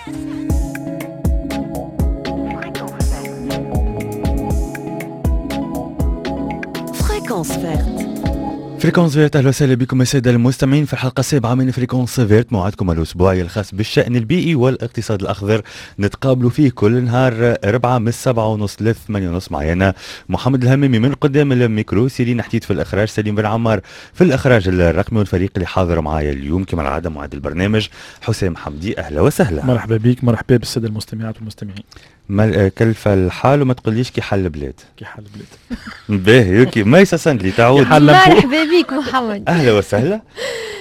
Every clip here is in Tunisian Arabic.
Fréquence verte. Fréquence verte، اهلا وسهلا بكم السادة المستمعين في الحلقة السابعة من Fréquence verte، موعدكم الاسبوعي الخاص بالشان البيئي والاقتصاد الاخضر، نتقابلوا فيه كل نهار 4 من 7:30 ل 8:30. معنا محمد الهمامي من قدام الميكرو، سيرين حديد في الاخراج، سليم بن عمار في الاخراج الرقمي، والفريق اللي حاضر معايا اليوم كما العادة معد البرنامج حسام حمدي. اهلا وسهلا. مرحبا بك، مرحبا بالساده المستمعات والمستمعين. ما كلف الحال وما تقوليش كي حل البلاد. كي حل البلاد. باهي OK. ميسا سندلي تعود. مرحبا بك محمد. اهلا وسهلا.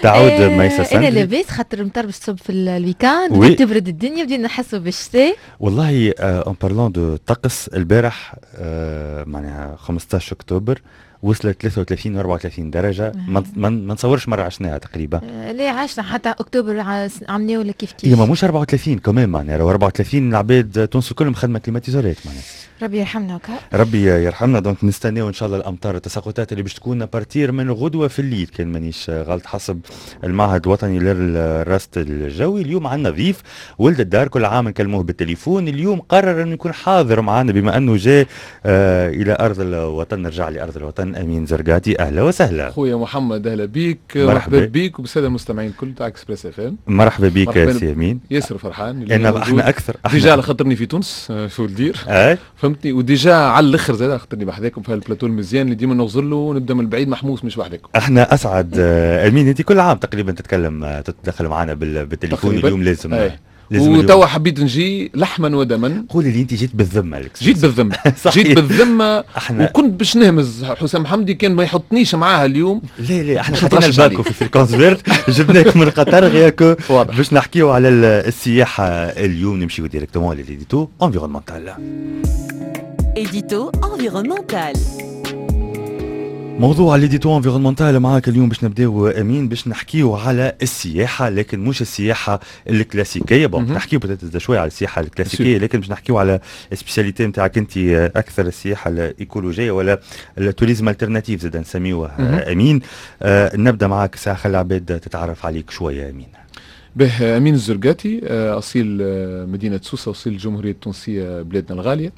تعود ميسا سندلي. انا لاباس خاطر مطر باش تصب في ال week-end، تبرد الدنيا، بدينا نحسوا بالشتاء. والله en parlant de طقس البارح، معناها 15 اكتوبر وصلت 33 و 34 درجة، ما نتصورش مرة عشناها تقريبا. لا عشنا حتى اكتوبر عملناه ولا كيف كيف. إيه ما مش 34 كمان، معناها لو 34 العباد تونس كلهم خدمة climatiseur ات معناها. ربي يرحمنا وكا. ربي يرحمنا. donc نستناو ان شاء الله الامطار، التساقطات اللي باش تكون à partir من غدوه في الليل كان مانيش غلط حسب المعهد الوطني للرصد الجوي. اليوم عندنا ضيف ولد الدار، كل عام نكلموه بالتليفون، اليوم قرر انه يكون حاضر معنا بما انه جاء الى ارض الوطن، نرجع لارض الوطن. امين زرقاتي اهلا وسهلا. خويا محمد اهلا بيك، مرحبا بيك وبالساده المستمعين الكل تاع Express FM. مرحبا بيك سي امين. ياسر فرحان انا احنا اكثر déjà على خاطرني في تونس شو ندير فهمتني، و déjà على الاخر زاد خاطرني بحذاكم في البلاتو المزيان اللي ديما نغزر له ونبدا من البعيد محموس مش بحذاكم. احنا اسعد امين، انت كل عام تقريبا تتكلم تتدخل معنا بالتليفون، اليوم لازم وتوا حبيت نجي لحما ودما. قولي لي انت جيت بالذمه. جيت بالذمه. جيت بالذمه وكنت باش نهمز حسام حمدي كان ما يحطنيش معاها اليوم. لا لا احنا حطينا الباكو في Fréquence verte، جبناك من قطر rien que باش نحكيو على السياحة اليوم. نمشيو directement لل édito environnemental. édito environnemental. موضوع l'édito environnemental معاك اليوم باش نبداو امين، باش نحكيو على السياحة، لكن مش السياحة الكلاسيكية. bon نحكيو peut-être شوية على السياحة الكلاسيكية، لكن باش نحكيو على spécialité نتاعك انت اكثر، السياحة الايكولوجيه ولا ال tourisme alternatif زاد نسميوه. امين نبدا معاك ساعة، خلي العباد تتعرف عليك شوية امين. به امين الزرقاتي، اصيل مدينة سوسة، اصيل الجمهورية التونسية بلادنا الغالية.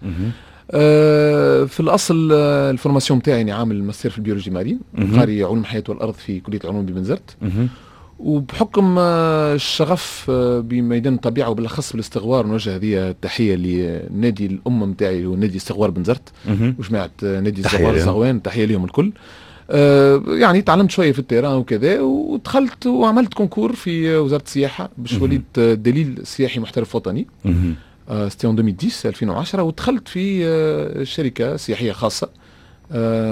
في الاصل ال formation تاعي يعني عامل ماستر في ال biologie marine، قاري علوم الحياة والارض في كليه العلوم ببنزرت، وبحكم الشغف بميدان الطبيعة وبالاخص بالاستغوار، نوجه هذه التحية لنادي الام نتاعي هو نادي استغوار بنزرت وجماعه نادي استغوار الزغوان، تحية لهم الكل. يعني تعلمت شوية في ال terrain وكذا، ودخلت وعملت concours في وزارة السياحة باش وليت دليل سياحي محترف وطني. c'était en 2010 2010، ودخلت في شركة سياحية خاصة،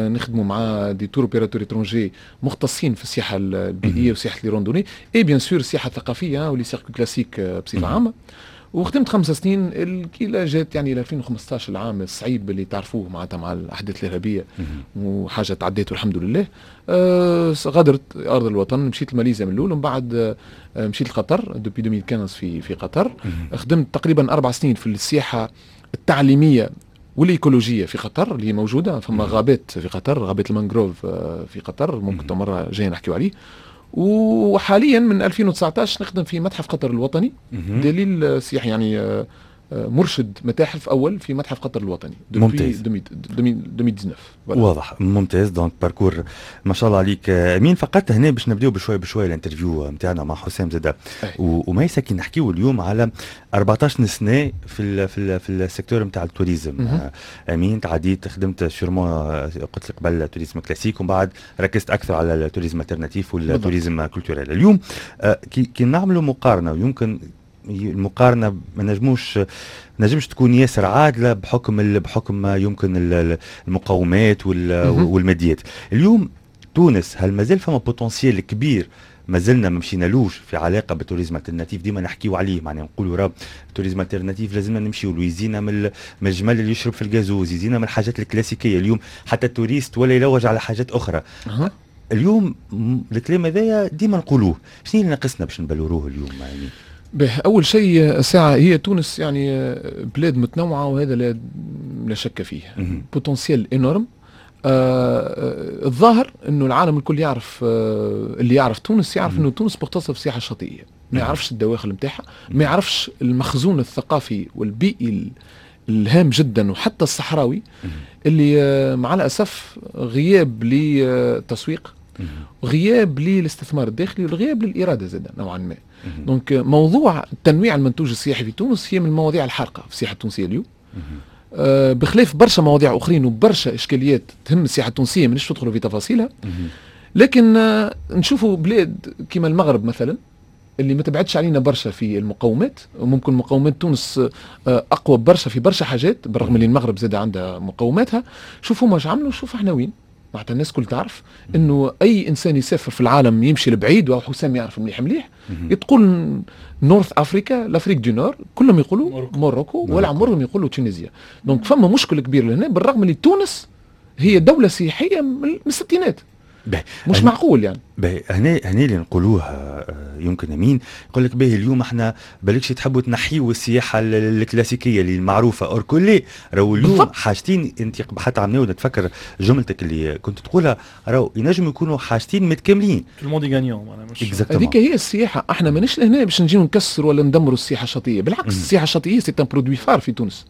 نخدموا مع des tour opérateurs étrangers مختصين في السياحة البيئية وسياحه les randonnées et bien sûr السياحة الثقافية و les circuits classiques بصفة عامة. وخدمت 5 سنين الكيلا جات يعني 2015، العام الصعيب اللي تعرفوه معناتها مع الاحداث الارهابية وحاجه تعديت والحمد لله. غادرت ارض الوطن، مشيت لماليزيا من الاول ومن بعد مشيت لقطر depuis 2015 في قطر. خدمت تقريبا 4 سنين في السياحة التعليمية والايكولوجيه في قطر اللي موجودة، فما غابات في قطر، غابات المانغروف في قطر ممكن مرة جاية نحكيو عليه. وحاليا من 2019 نخدم في متحف قطر الوطني، دليل سياحي يعني مرشد متاحف اول في متحف قطر الوطني. ممتاز. 2019. واضح، ممتاز. donc parcours ما شاء الله عليك امين. فقط هنا باش نبداو بشوي بشوي ال interview نتاعنا مع حسام زاده وميسا، كي نحكيو اليوم على 14 سنة في ال secteur نتاع ال tourisme. امين تعديت خدمت sûrement قلت لك قبل tourisme classique ومن بعد ركزت اكثر على ال tourisme alternatif وال tourisme culturel. اليوم كي نعملوا مقارنة، ويمكن المقارنة ما نجمش تكون ياسر عادلة بحكم يمكن المقومات والماديات. اليوم تونس هل مازال فما potentiel كبير مازلنا ما مشينالوش في علاقة بال tourisme alternatif؟ ديما نحكيو عليه، معناها نقولوا راه ال tourisme alternatif لازمنا نمشيو له، يزينا من الجمل اللي يشرب في الجازوز، يزينا من الحاجات الكلاسيكية. اليوم حتى ال touriste ولا يلوج على حاجات اخرى. اليوم الكلام هذايا ديما نقولوه، شنو اللي ناقصنا باش نبلوروه اليوم يعني؟ به اول شيء ساعة هي تونس يعني بلاد متنوعة وهذا لا شك فيه، potentiel énorme. الظاهر انه العالم الكل يعرف، اللي يعرف تونس يعرف انه تونس مختصة في السياحة الشاطئيه، ما يعرفش الدواخل نتاعها، ما يعرفش المخزون الثقافي والبيئي الهام جدا وحتى الصحراوي اللي مع الاسف غياب للتسويق، غياب للاستثمار الداخلي، وغياب للارادة زاد نوعا ما. donc موضوع تنويع المنتوج السياحي في تونس هي من المواضيع الحارقه في السياحة التونسية اليوم، بخلاف برشا مواضيع اخرين وبرشا اشكاليات تهم السياحة التونسية مانيش ندخلوا في تفاصيلها. لكن نشوفوا بلاد كما المغرب مثلا اللي ما تبعدش علينا برشا في المقومات، وممكن مقومات تونس اقوى برشا في برشا حاجات، بالرغم اللي المغرب زاد عندها مقوماتها. شوفوا ما عملوا، شوف احنا وين. معناتها الناس كل تعرف انه اي انسان يسافر في العالم يمشي لبعيد، وحسام يعرف مليح مليح، تقول North Africa، l'Afrique du Nord، كلهم يقولوا Maroc، ولا عمرهم يقولوا Tunisie. donc فما مشكل كبير لهنا، بالرغم اللي تونس هي دولة سياحية من الستينات. مش معقول يعني. باهي، هنا اللي نقولوها يمكن امين يقول لك باهي اليوم احنا بالكش تحبوا تنحيوا السياحة الكلاسيكية اللي المعروفة، or كلي راهو اليوم حاجتين انت حتى عملنا نتفكر جملتك اللي كنت تقولها، راهو ينجم يكونوا حاجتين متكاملين. tout le monde est gagnant. هذيك هي السياحة، احنا مانيش لهنا باش نجيو نكسروا ولا ندمروا السياحة الشاطئيه، بالعكس السياحة الشاطئيه c'est un produit phare في تونس،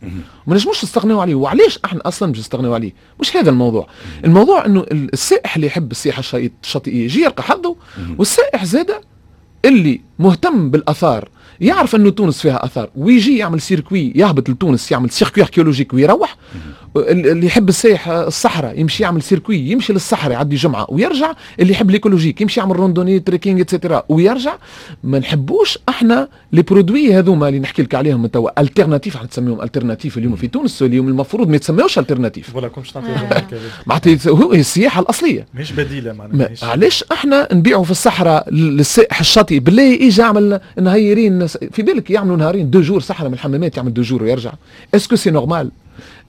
ما نجموش نستغنيو عليه. وعلاش احنا اصلا باش نستغنيو عليه؟ مش هذا الموضوع. الموضوع انه السائح اللي يحب السياحة الشاطئيه يجي يلقى حظه، والسائح زاده اللي مهتم بالاثار يعرف انه تونس فيها اثار ويجي يعمل circuit، يهبط لتونس يعمل circuit archéologique ويروح. اللي يحب السائح الصحراء يمشي يعمل circuit، يمشي للصحراء يعدي جمعه ويرجع. اللي يحب l'écologique يمشي يعمل randonnée، trekking، et cetera ويرجع. ما نحبوش احنا les produits هذوما اللي نحكي لك عليهم توا alternatifs، احنا تسميهم alternatifs اليوم في تونس، اليوم المفروض ما يتسميوش alternatifs. voilà كنت معناتها هو السياحة الاصلية مش بديله معناها. علاش احنا نبيعوا في الصحراء للسائح الشاطئ؟ بالله اجى اعمل نهيرين، في بالك يعملوا نهارين 2 jours صحراء من الحمامات، يعمل 2 jours ويرجع. est-ce que c'est normal؟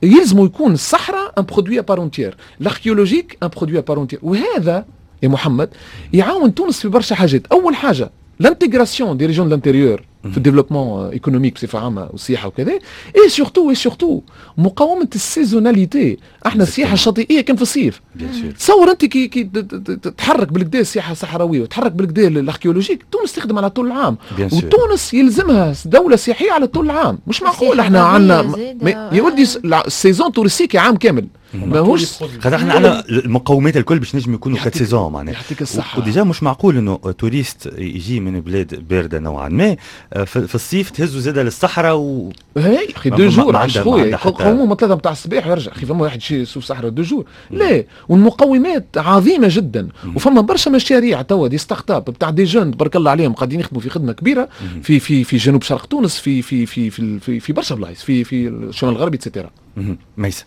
يلزم يكون الصحراء un produit à part entière، l'archéologique un produit à part entière. وهذا يا محمد يعاون تونس في برشا حاجات. اول حاجة l'intégration des régions de l'intérieur في ال développement économique بصفة عامة والسياحة وكذا، et surtout مقاومة ال saisonnalité. احنا السياحة الشاطئيه كان في الصيف، تصور انت كي تتحرك بالكدا السياحة الصحراوية وتحرك بالكدا l'archéologique، تونس تخدم على طول العام، وتونس يلزمها دولة سياحية على طول العام. مش معقول احنا عندنا يا ولدي ال saison touristique عام كامل. ماهوش خاطر احنا عندنا المقومات الكل باش نجم يكونوا quatre saisons معناها. يعطيك الصحة. و déjà مش معقول انه touriste يجي من بلاد باردة نوعا ما في الصيف تهزوا زاده للصحراء و هي اخي 2 jours عاش خويا، يقوموا من 3 نتاع الصباح ويرجع. اخي فما واحد يشوف صحراء 2 jours؟ لا، والمقومات عظيمة جدا، وفما برشا مشاريع توا des startups بتاع des jeunes تبارك الله عليهم قاعدين يخدموا في خدمة كبيرة في جنوب شرق تونس، في برشا بلايص، في الشمال الغربي et cetera. ميسا.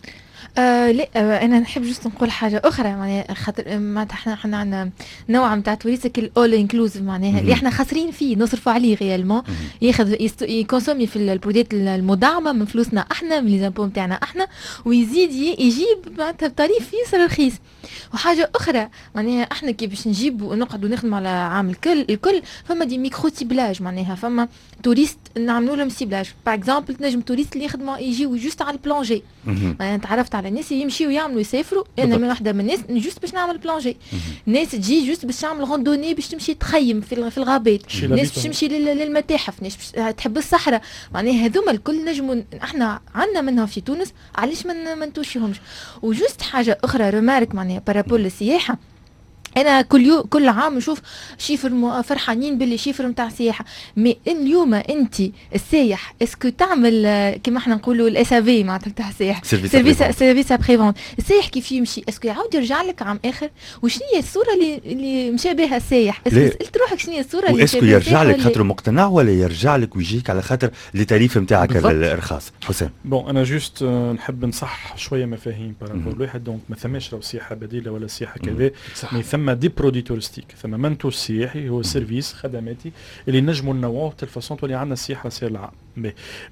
لا، انا نحب juste نقول حاجة اخرى، معناها خاطر معناتها احنا عندنا نوع نتاع touriste ال all inclusive، معناها اللي احنا خاسرين فيه، نصرفوا عليه réellement، ياخذ ي consommer في ال produits المدعمه من فلوسنا احنا، من les impôts نتاعنا احنا، ويزيد يجيب معناتها ب tarif ياسر رخيص. وحاجه اخرى، معناها احنا كي باش نجيب ونقعدوا نخدموا على عام الكل الكل، فما des micro ciblages، معناها فما touristes نعملوا لهم ciblage. par exemple تنجم touristes اللي يخدموا يجيو juste على ال plongée، معناها تعرفت على ناس يمشيو يعملوا يسافروا، انا من واحدة من الناس juste باش نعمل plongée، ناس تجي juste باش تعمل randonnée، باش تمشي تخيم في الغابات، ناس باش تمشي للمتاحف، ناس تحب الصحراء. معناها هذوما الكل نجموا احنا عندنا منها في تونس، علاش ما نتوشيهمش؟ و juste حاجة اخرى remarque معناها par rapport للسياحه، انا كل يوم كل عام نشوف chiffres، فرحانين باللي chiffres نتاع السياحه، mais اليوم انت السايح est-ce que تعمل كيما احنا نقولوا ال SAV معناتها نتاع السائح، service après-vente، السايح كيف يمشي est-ce que يعاود يرجع لك عام اخر؟ وشنو هي الصورة اللي مشى بها السايح؟ est-ce que سالت روحك شنو هي الصورة اللي est-ce que يرجع لك خاطر مقتنع ولا يرجع لك ويجيك على خاطر les tarifs نتاعك الرخاص؟ حسام. bon، انا juste نحب نصح شوية مفاهيم par rapport الواحد. donc ما ثماش راهو سياحة بديله ولا سياحة كذا، mais ثم des produits touristiques، ثم منتوج سياحي هو service خدماتي اللي نجموا ننوعوه telle façon تولي عندنا السياحة سير العام.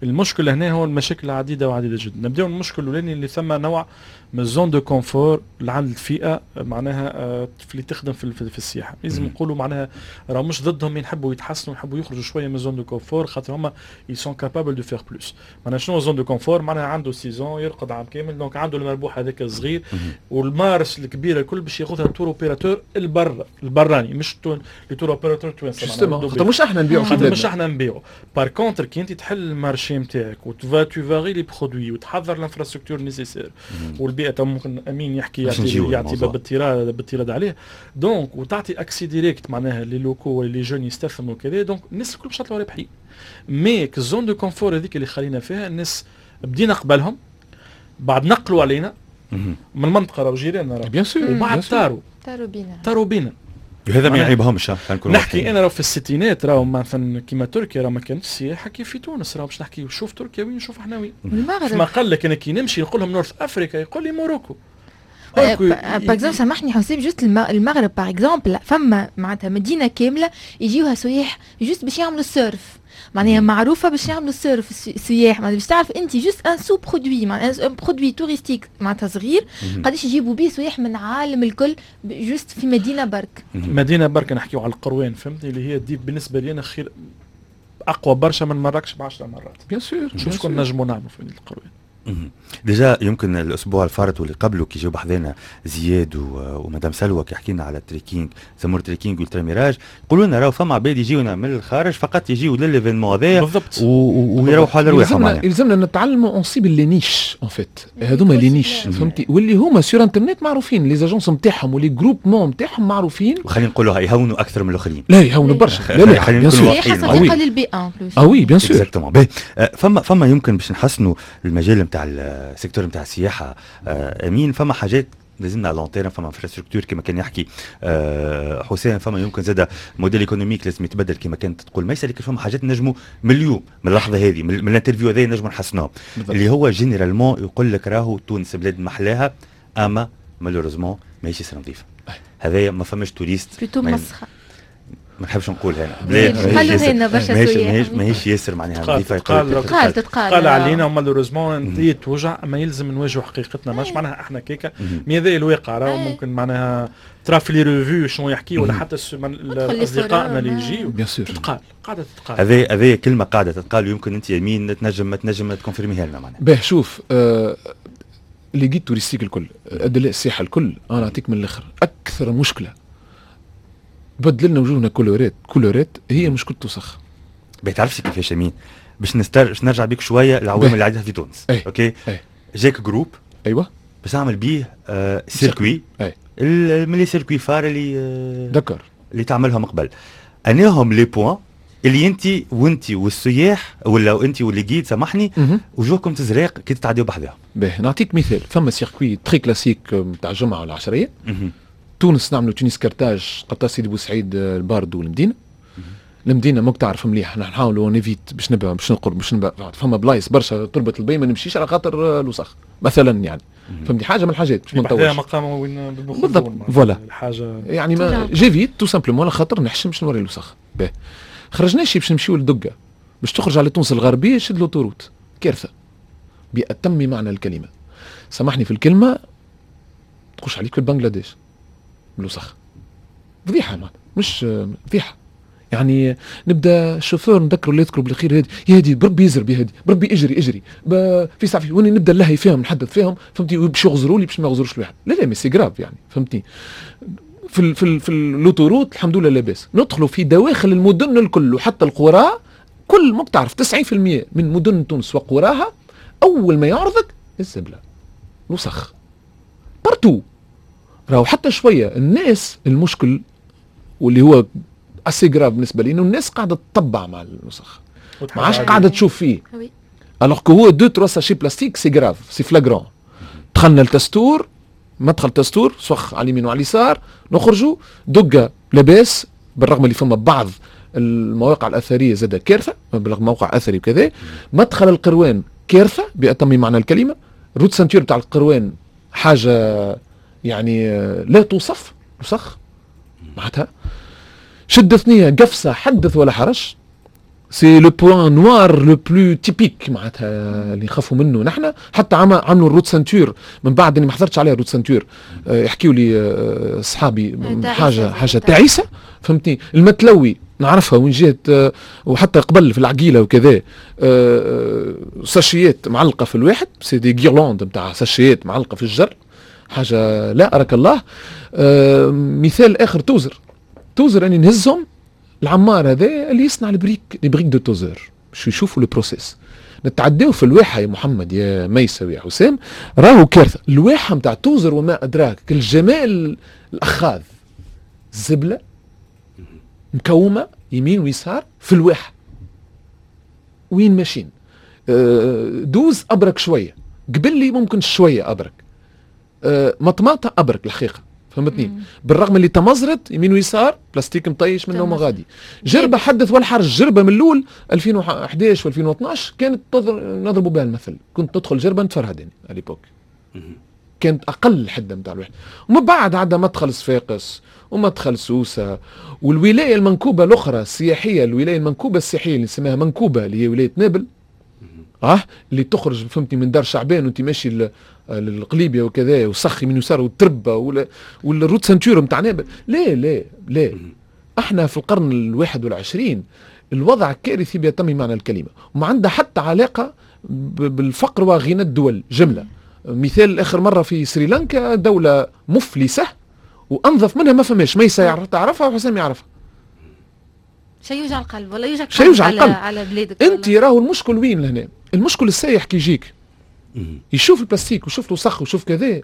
المشكل هنا هو المشاكل عديدة وعديده جدا. نبداو المشكل الاولاني اللي ثم نوع من zone de confort عند الفئة معناها اللي تخدم في السياحه. لازم نقولوا معناها راه مش ضدهم، يحبوا يتحسنوا، يحبوا يخرجوا شوية من zone de confort، خاطر هما ils sont capables de faire plus. معناها شنو zone de confort؟ معناها عنده saison يرقد عام كامل، donc عنده المربوح هذاك الصغير وال marge الكبيرة الكل باش ياخذها tour opérateur البر البراني، مش les tour opérateurs التوانسه. خاطر مش احنا نبيعوا. خاطر مش احنا نبيعوا. par contre كي انت تحل ال marché نتاعك وتفا tu varies les produits وتحضر l'infrastructure nécessaire والبيئه، ممكن امين يحكي يعطي بالطيراد عليه، donc وتعطي accès direct معناها les locaux ولا les jeunes يستثمروا كذا، donc الناس الكل باش يطلعوا رابحين. mais zone de confort هذيك اللي خلينا فيها الناس بدينا قبلهم، بعد نقلوا علينا من المنطقه، راهو جيراننا راه bien sûr. وبعد طاروا. طاروا بينا. طاروا بينا. هذا ما يعيبهمش. نحكي انا راهو في الستينات راهو مثلا كيما تركيا راهو ما كانتش سياحة كيف في تونس. راهو باش نحكي، شوف تركيا وين، شوف احنا وين. المغرب. ما قال لك انا كي نمشي نقول لهم North Africa يقول لي Morocco. par exemple، سامحني حسام، juste المغرب par exemple، فما معناتها مدينة كاملة يجيوها سياح juste باش يعملوا ال surf، معناها معروفة باش يعملوا ال surf السياح. معناها باش تعرف انت juste un sous-produit، معناها un produit touristique معناتها صغير، قداش يجيبوا بيه سياح من العالم الكل juste في مدينة برك. مدينة برك، نحكيو على القروان، فهمتني؟ اللي هي دي بالنسبة لي انا خير، اقوى برشا من مراكش ب 10 مرات. bien sûr. شوف شكون نجموا نعملوا في مدينة القروان. déjà يمكن الاسبوع الفارط واللي قبله كي جاو بحذانا زياد ومدام سلوى، كي حكينا على ال trekking، زمور trekking Ultra Mirage، يقولوا لنا راهو فما عباد يجيونا من الخارج فقط يجيو لل événement هذايا. ويروحوا على رواحهم. يلزمنا نتعلموا on cible les niches en fait، هذوما les niches، فهمتي؟ واللي هما sur internet معروفين، les agences نتاعهم و les groupements نتاعهم معروفين. وخلينا نقولوا يهونوا اكثر من الاخرين. لا، يهونوا برشا، لا لا. خلينا نكونوا واضحين. صديقه للبيئة. اه oui، bien sûr. exactement. فما يمكن باش نحسنوا المجال نتاع ال secteur نتاع السياحه، امين، فما حاجات لازمنا à long terme، فما infrastructure كما كان يحكي حسين، فما يمكن زاد modèle économique لازم يتبدل كما كانت تقول ميسا، لكن فما حاجات نجموا من اليوم، من اللحظة هذه، من l'interview هذه نجموا نحسنوها، اللي هو généralement يقول لك راهو تونس بلاد محلاها اما malheureusement ماهيش ياسر نظيفه. هذايا ما فماش touriste plutôt مسخه. ما نحبش نقول هنا. بلاد قالوا هنا برشا. ماهيش ياسر معناها نظيفه. تقال تتقال. قال علينا و malheureusement انت توجع، اما يلزم نواجهوا حقيقتنا. ماش معناها احنا كيكا، mais هذا الواقع. راهو ممكن معناها ترى في les revues شنو يحكي ولا حتى اصدقائنا اللي يجيو. bien sûr. تتقال، قاعدة تتقال. هذه كلمة قاعدة تتقال، ويمكن انت يمين تنجم ت confirmer ها لنا معناها. باه شوف، les guides touristiques الكل، ادلاء السياحة الكل، انا نعطيك من الاخر، اكثر مشكلة بدل لنا وجوهنا كولورات كولورات هي مشكلة وسخ. ما تعرفش كيفاش امين، باش نرجع بيك شوية العوامل اللي عندها في تونس. أي. OK. أي. جاك groupe باش نعمل بيه circuit من les circuits phares اللي اللي تعملهم قبل، اناهم les points اللي انت وانت والسياح ولا انت و les guides، سامحني، وجوهكم تزرق كي تتعديو بحذاهم؟ باهي، نعطيك مثال. فما circuit très classique نتاع الجمعة والعشريه، تونس نعملوا تونس كرتاج، قرطاج، سيدي بوسعيد، الباردو والمدينه. المدينة ماك تعرف مليح، نحن نحاولوا on évite باش نبقى باش نقرب باش نبقى فما بلايص برشا، تربه البي ما نمشيش على خاطر الوسخ مثلا، يعني فهمتني؟ حاجة من الحاجات باش ما نطولش. مقام وين بالضبط، voilà. الحاجة يعني ما j'évite tout simplement على خاطر نحشم باش نوري الوسخ. باهي، خرجناش باش نمشيو لدقه، باش تخرج على تونس الغربية شد l'autoroute، كارثة بأتم معنى الكلمه، سامحني في الكلمه، تخش عليك في بنغلاديش بالوسخ، فضيحة معناتها، مش فضيحه. يعني نبدا الشوفور نذكر اللي يذكروا بالخير، هادي يا هادي، بربي يزرب يا هادي، بربي اجري اجري في ساعة، واني نبدا نلهي فيهم، نحدث فيهم، فهمتي؟ باش يغزروا لي، باش ما يغزروش الواحد. لا لا، mais c'est grave يعني، فهمتني؟ في l'autoroute الحمد لله لاباس، ندخلوا في دواخل المدن الكل وحتى القرى كل، ما تعرف 90% من مدن تونس وقراها اول ما يعرضك الزبله، الوسخ partout. راهو حتى شوية الناس، المشكل واللي هو assez grave بالنسبة لي انه الناس قاعدة تطبع مع الوسخ، ما عادش قاعدة تشوف فيه، alors que هو deux trois sachets plastique c'est grave، c'est flagrant. دخلنا لتستور، مدخل تستور وسخ على اليمين وعلى اليسار. نخرجوا دقه لاباس، بالرغم اللي فما بعض المواقع الاثرية زاد كارثه، بالرغم موقع اثري وكذا. مدخل القروان كارثة بأتم معنى الكلمه، route ceinture تاع القروان حاجة يعني لا توصف، وسخ معناتها. شد ثنيه قفصه حدث ولا حرج. c'est le point noir le plus typique معناتها اللي نخافوا منه نحن. حتى عملوا ال route ceinture من بعد، اني ما حضرتش عليها route ceinture، يحكيوا لي اصحابي حاجة تعيسه، فهمتني. المتلوي نعرفها وين جات، وحتى قبل في العقيلة وكذا، ساشيات معلقه في الواحد، c'est des guirlandes نتاع ساشيات معلقه في الجر، حاجة لا اراك الله. مثال اخر توزر، توزر اني نهزهم العمار هذا اللي يصنع ال briques، les briques de توزر، باش يشوفوا le processus. نتعداو في الواحه يا محمد يا ميسة ويا حسام، راهو كارثة الواحه نتاع توزر وما ادراك، الجمال الاخاذ، زبله مكومه يمين ويسار في الواحه. وين ماشيين؟ دوز ابرك شويه، قبل لي ممكن شوية ابرك، مطماطه ابرك الحقيقه، فهمتني؟ بالرغم اللي تمزرت يمين ويسار بلاستيك مطيش منه ومغادي. جربه حدث ولا حرج، جربه من الاول 2011 و2012 كانت نضربوا بها المثل، كنت تدخل جربه نتفرهد يعني à l'époque، كانت اقل حده نتاع الواحد. ومن بعد عندها مدخل صفاقس ومدخل سوسة والولاية المنكوبه الاخرى السياحيه، الولاية المنكوبه السياحية اللي نسميها منكوبه اللي هي ولاية نابل، اللي تخرج فهمتني من دار شعبان وانت ماشي للقليبيه وكذا، وسخي من يسار والتربه وال route ceinture نتاع نابل. لا لا لا، احنا في القرن الواحد والعشرين الوضع كارثي بأتم معنى الكلمه، وما عندها حتى علاقة بالفقر وغنى الدول جمله. مثال اخر مرة في سريلانكا، دولة مفلسه وانظف منها ما فماش، ميسا تعرفها وحسام يعرفها. شيء يوجع القلب ولا يوجع شيء يوجع القلب على بلادك. انت راهو المشكل وين لهنا؟ المشكل السايح كي يجيك يشوف البلاستيك ويشوف الوسخ ويشوف كذا،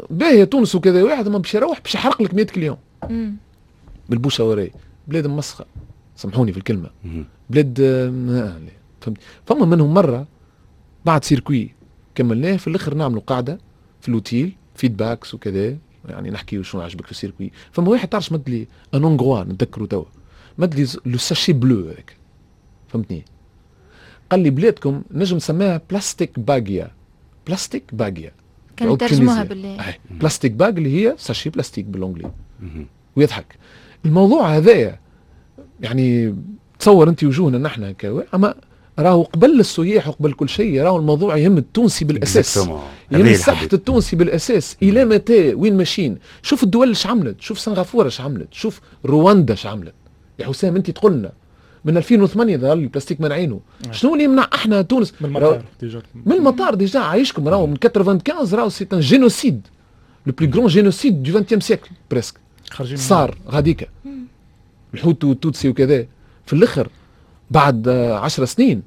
باهيه تونس وكذا، واحد ما باش يروح باش يحرق لك 100 client بال bouche à oreille. بلاد مسخه، سامحوني في الكلمه، بلاد فهمت. فما منهم مرة بعد circuit كملناه في الاخر نعملوا قاعدة في l'hôtel feedbacks وكذا، يعني نحكي شنو عجبك في ال circuit. فما واحد تعرف مد لي un Hongrois نتذكروا توا، مد لي le sachet bleu هذاك، فهمتني؟ قال لي بلادكم نجم نسميها بلاستيك باجيا، بلاستيك باجيا. كانوا ترجموها بالله plastic bag اللي هي sachet plastique بال anglais. ويضحك الموضوع هذايا، يعني تصور انت وجوهنا نحن اما راهو قبل السياح وقبل كل شيء راهو الموضوع يهم التونسي بالاساس، يهم صحة التونسي بالاساس. الى متى؟ وين ماشيين؟ شوف الدول اش عملت، شوف سنغافورة اش عملت، شوف رواندا اش عملت. يا حسام انت تقولنا من 2008 ظهر البلاستيك منعينه، شنو اللي يمنع احنا تونس؟ من المطار déjà، من المطار déjà عايشكم، راهو من 95 راهو c'est un génocide، le plus grand génocide du 20 siècle presque صار غاديكا، الحوت والتوتسي وكذا. في الاخر بعد 10 سنين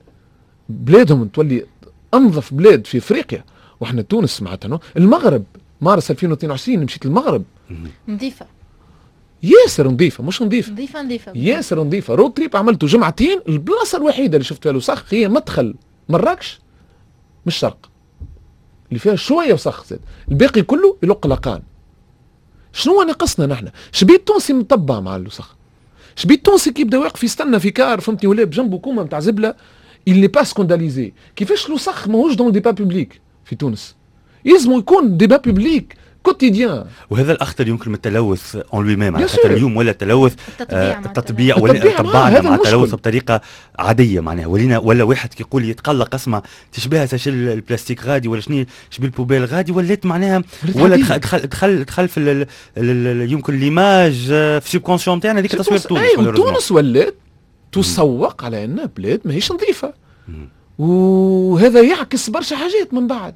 بلادهم تولي انظف بلاد في افريقيا، واحنا تونس معناتها. المغرب مارس 2022 مشيت المغرب نظيفة ياسر، نظيفة مش نظيفة، نظيفة نظيفة ياسر نظيفة. road trip عملته جمعتين، البلاصة الوحيدة اللي شفت فيها الوسخ هي مدخل مراكش من الشرق اللي فيها شوية وسخ زاد، الباقي كله يلق لقان. شنو ناقصنا نحن؟ شبيه التونسي مطبع مع الوسخ، شبيه التونسي كي يبدا واقف يستنى في car فهمتني ولا بجنبه كومة نتاع زبله، il n'est pas scandalisé. كيفاش الوسخ ماهوش dans débat public في تونس؟ يلزم يكون débat public quotidien. وهذا الاخطر يمكن من التلوث en lui-même، على خاطر اليوم ولا التلوث التطبيع ولا طبعنا مع التلوث بطريقة عادية، معناها ولينا ولا واحد كي يقول يتقلق اسمع تشبه sachet ال plastique غادي ولا شنو شبيه ال poubelle غادي، ولات معناها ولا دخل دخل دخل, دخل في يمكن l'image في subconscient تاعنا هذيك تصوير تونس. اي تونس ولات تسوق على انها بلاد ماهيش نظيفه، وهذا يعكس برشا حاجات من بعد.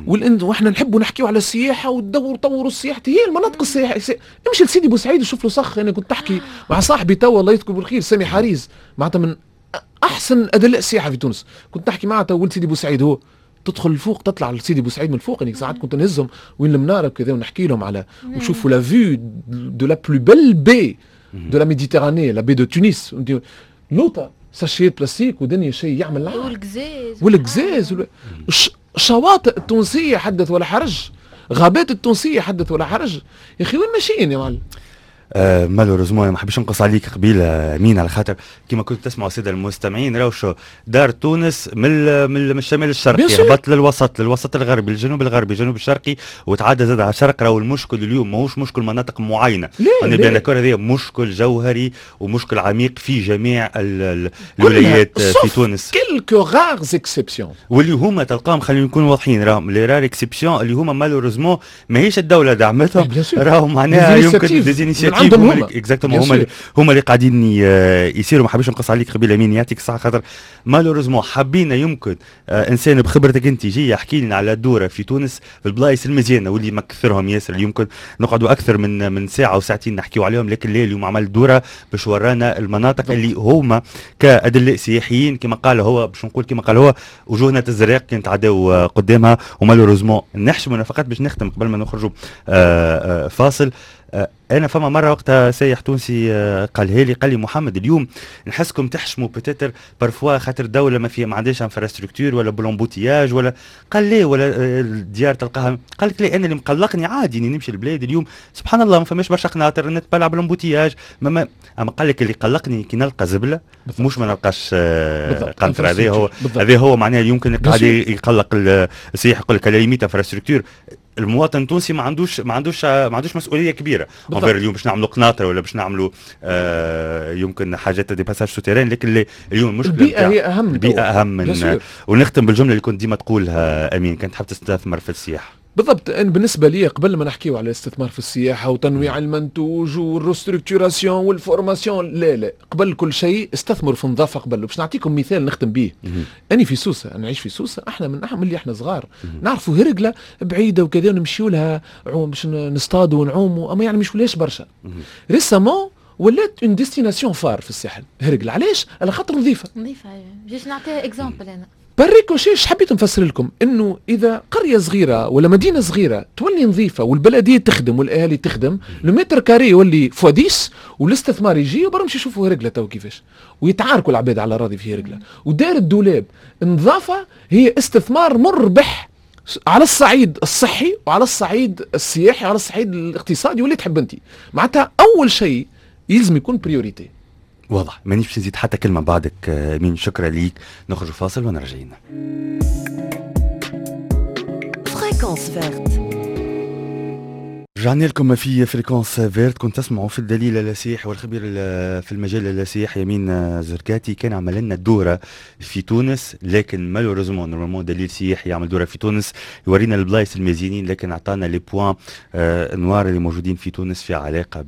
واحنا نحبوا نحكيو على السياحة وتدوروا طوروا السياحه، هي المناطق السياحيه. امشي لسيدي بوسعيد وشوف الوسخ. انا كنت تحكي مع صاحبي توا الله يذكره بالخير سامي حريز، معناتها من احسن ادلاء السياحة في تونس، كنت نحكي معاه تو ولد سيدي بوسعيد، هو تدخل الفوق تطلع لسيدي بوسعيد من الفوق، يعني ساعات كنت نهزهم وين المنارة وكذا ونحكي لهم على وشوفوا la vue de la plus belle baie de la Méditerranée، la baie de Tunis، لوطا ساشيات بلاستيك ودنيا شيء يعمل العار. والقزاز والقزاز، الشواطئ التونسية حدث ولا حرج، غابات التونسية حدث ولا حرج. يا اخي وين ماشيين يا معلم؟ malheureusement ما حبيش نقص عليك قبيلة مين، على خاطر كما كنت تسمعوا السادة المستمعين راهو شو دار تونس من الشمال الشرقي هبط للوسط، الغربي، الجنوب الغربي، الجنوب الشرقي، وتعدى زاد على الشرق. راهو المشكل اليوم ماهوش مشكل مناطق معينة، انا bien d'accord، هذا مشكل جوهري ومشكل عميق في جميع الولايات في تونس، quelques rares exceptions، واللي هما تلقاهم، خلينا نكونوا واضحين، راهم les rares exceptions اللي هما malheureusement ماهيش الدولة دعمتهم، راهم معناها يمكن des initiatives exactement هما اللي قاعدين يصيروا. ما حبيش نقص عليك قبيلة مين، يعطيك الصحه، خاطر malheureusement حبينا يمكن انسان بخبرتك انت يجي يحكي لنا على الدورة في تونس في البلايص المزيانه واللي مكثرهم ياسر، اللي يمكن نقعدوا اكثر من ساعة وساعتين نحكيو عليهم، لكن لا، اليوم عمل دوره باش ورانا المناطق اللي هما كادلاء سياحيين كما قال هو، باش نقول كما قال هو وجوهنا تزرق كي نتعداو قدامها و malheureusement نحشموا. فقط باش نختم قبل ما نخرجوا فاصل، انا فما مرة وقتها سايح تونسي قالها لي، قال لي محمد اليوم نحسكم تحشموا peut-être parfois خاطر دولة ما فيها ما عندهاش infrastructure ولا ب l'embouteillage ولا، قال لي ولا الديار تلقاها، قال لك لا، انا اللي مقلقني عادي اني نمشي البلاد اليوم سبحان الله ما فماش برشا قناطر نتبلع ب l'embouteillage، ما اما قال لك اللي قلقني كي نلقى زبله مش ما نلقاش قنطرة. هذا هو هذا هو معناها يمكن قاعد يقلق السياح، يقول لك limite infrastructure المواطن التونسي ما عندوش مسؤولية كبيرة envers اليوم باش نعملوا قناطر ولا باش نعملوا يمكن حاجات des passages souterrains، لكن اليوم المشكلة البيئة هي اهم. البيئة اهم من، ونختم بالجملة اللي كنت ديما تقولها امين، كنت تحب تستثمر في السياحه. بالضبط، أنا بالنسبة لي قبل ما نحكيو على الاستثمار في السياحة وتنويع المنتوج وال restructuration وال formation، لا لا، قبل كل شيء استثمروا في النظافة قبل. باش نعطيكم مثال نختم به، أنا في سوسة، أنا نعيش في سوسة، احنا من اللي احنا صغار نعرفوا هرقلة بعيدة وكذا ونمشيو لها باش نصطادوا ونعوموا، أما يعني مش ولاش برشا. récemment ولات une destination phare في الساحل هرقلة، علاش؟ على خاطر نظيفة. نظيفة، جيت نعطيها exemple أنا. par ricochet حبيت نفسر لكم انه اذا قرية صغيرة ولا مدينة صغيرة تولي نظيفة والبلديه تخدم والاهالي تخدم، le mètre carré يولي fois 10 والاستثمار يجي. وبرا مشي يشوفوا هرقله تو كيفاش، ويتعاركوا العباد على راضي في هرقله ودار الدولاب. النظافة هي استثمار مربح على الصعيد الصحي وعلى الصعيد السياحي وعلى الصعيد الاقتصادي واللي تحب انت. معناتها اول شيء يلزم يكون priorité. واضح، مانيش باش نزيد حتى كلمة بعدك مين، شكرا ليك. نخرج فاصل ونرجعين. Fréquence verte. رجعنا لكم في Fréquence verte. كنت تسمعوا في الدليل السياحي والخبير في المجال السياحي يمين زركاتي، كان عمل لنا دوره في تونس، لكن malheureusement normalement دليل سياحي يعمل دوره في تونس يورينا البلايص المزيانين، لكن اعطانا les points noirs اللي موجودين في تونس في علاقة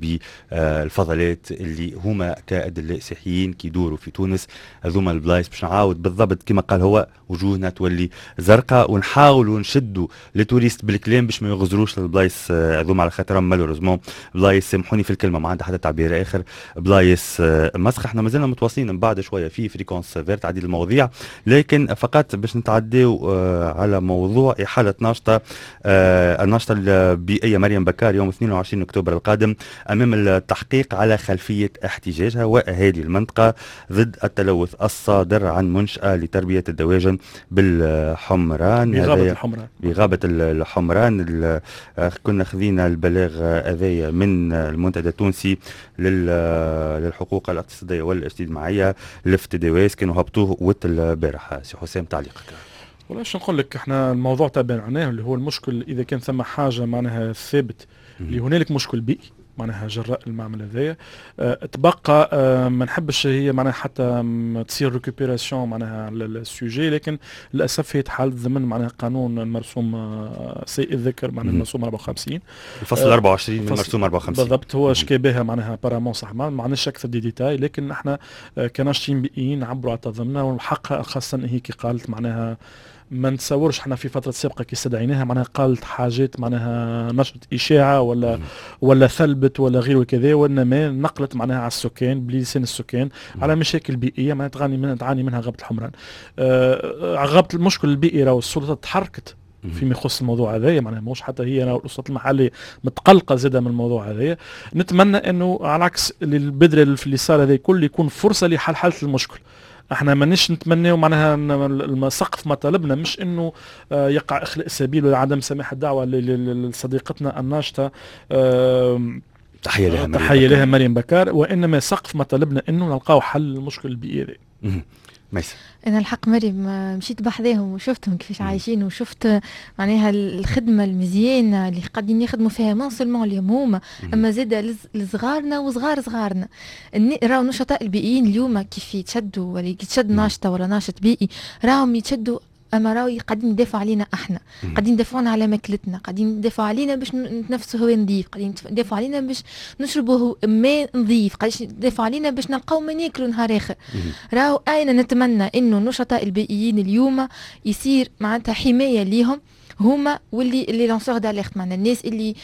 بالفضلات اللي هما كادلاء سياحيين كي يدوروا في تونس هذوما البلايص، باش نعاود بالضبط كما قال هو، وجوهنا تولي زرقاء ونحاولوا نشدوا les touristes بالكلام باش ما يغزروش البلايص هذوما، على خاطر malheureusement بلايص، سامحوني في الكلمه، ما عندها حتى تعبير اخر، بلايص مسخ. احنا مازلنا متواصلين من بعد شوية في Fréquence verte عديد المواضيع، لكن فقط باش نتعداو على موضوع احالة ناشطه الناشطه البيئية مريم بكار يوم 22 اكتوبر القادم امام التحقيق على خلفية احتجاجها واهالي المنطقة ضد التلوث الصادر عن منشاه لتربية الدواجن بالحمران. بغابه الحمران. بغابه الحمران. كنا خذينا البلاغ هذايا من المنتدى التونسي للحقوق الاقتصادية والاجتماعية لفتدواس، كانوا هبطوه وقت البارح. سي حسام، تعليقك. والله شو نقول لك، احنا الموضوع تابعناه، اللي هو المشكل اذا كان ثم حاجة معناها ثابت اللي هنالك مشكل بيئي معناها جراء المعمل هذايا. تبقى ما نحبش هي معناها حتى تصير récupération معناها على ال sujet، لكن للاسف هي تحالت ضمن معناها قانون المرسوم سيء الذكر، معناها المرسوم 54. الفصل 24 من المرسوم 54. بالضبط، هو شكى بها معناها apparemment، صح ما عندناش اكثر des détails، لكن احنا كناشطين بيئيين نعبروا على تضامننا وحقها، خاصة هي كي قالت معناها ما نتصورش احنا في فترة سابقه كي استدعيناها معناها قالت حاجات معناها نشرت اشاعة ولا ثلبت ولا غيره كذا، وانما نقلت معناها على السكان بلسان السكان على مشاكل بيئية معناها تعاني منها غابه الحمران. غابه المشكل البيئي راهو السلطات تحركت فيما يخص الموضوع هذايا، معناها مش حتى هي السلطات المحلية متقلقه زاده من الموضوع هذايا. نتمنى انه على عكس اللي البدري اللي صار هذا الكل يكون فرصة لحلحله المشكل. احنا مانيش نتمناو معناها سقف مطالبنا مش انه يقع اخلاء السبيل ولا عدم سماح الدعوة لصديقتنا الناشطه. تحية لها مريم، تحية لها مريم بكار. وانما سقف مطالبنا انه نلقاو حل للمشكل البيئي هذا. ميسا. انا الحق مريم مشيت بحذاهم وشفتهم كيفاش عايشين، وشفت معناها الخدمة المزيانه اللي قاعدين يخدموا فيها، non seulement اليوم هما، اما زاد لصغارنا وصغار صغارنا. راهو النشطاء البيئيين اليوم كيف يتشدوا ولا يتشد ناشطة ولا ناشط بيئي، راهم يتشدوا، اما راهو قاعدين يدافعوا علينا احنا، قاعدين يدافعون على ماكلتنا، قاعدين يدافعوا علينا باش نتنفسوا هواء نظيف، قاعدين يدافعوا علينا باش نشربوا ماء نظيف، قاعدين يدافعوا علينا باش نلقاو ما ناكلوا نهار اخر. راهو انا نتمنى انه النشطاء البيئيين اليوم يصير معناتها حماية ليهم هما واللي les lanceurs d'alerte، معناها الناس اللي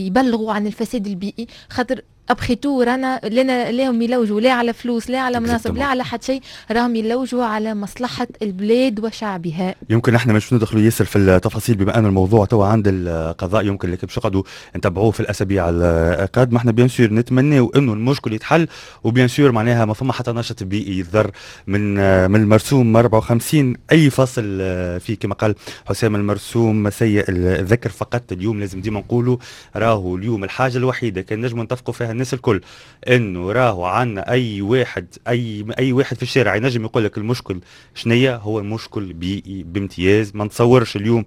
يبلغوا عن الفساد البيئي، خاطر après tout رانا لنا لهم يلوجوا لا على فلوس، لا على مناصب، لا على حد شيء، راهم يلوجوا على مصلحة البلاد وشعبها. يمكن احنا مش ندخلوا ياسر في التفاصيل بما ان الموضوع توا عند القضاء، يمكن لكن باش نقعدوا نتبعوه في الاسابيع القادمه. احنا bien sûr نتمناو انه المشكل يتحل، و bien sûr معناها ما فما حتى ناشط بيئي يتضر من المرسوم 54 اي فصل فيه، كما قال حسام المرسوم سيء الذكر. فقط اليوم لازم ديما نقولوا راهو اليوم الحاجة الوحيدة كان نجم نتفقوا فيها الناس الكل انه راهو عندنا اي واحد اي واحد في الشارع ينجم يقول لك المشكل شنية، هو المشكل بيئي بامتياز. ما نتصورش اليوم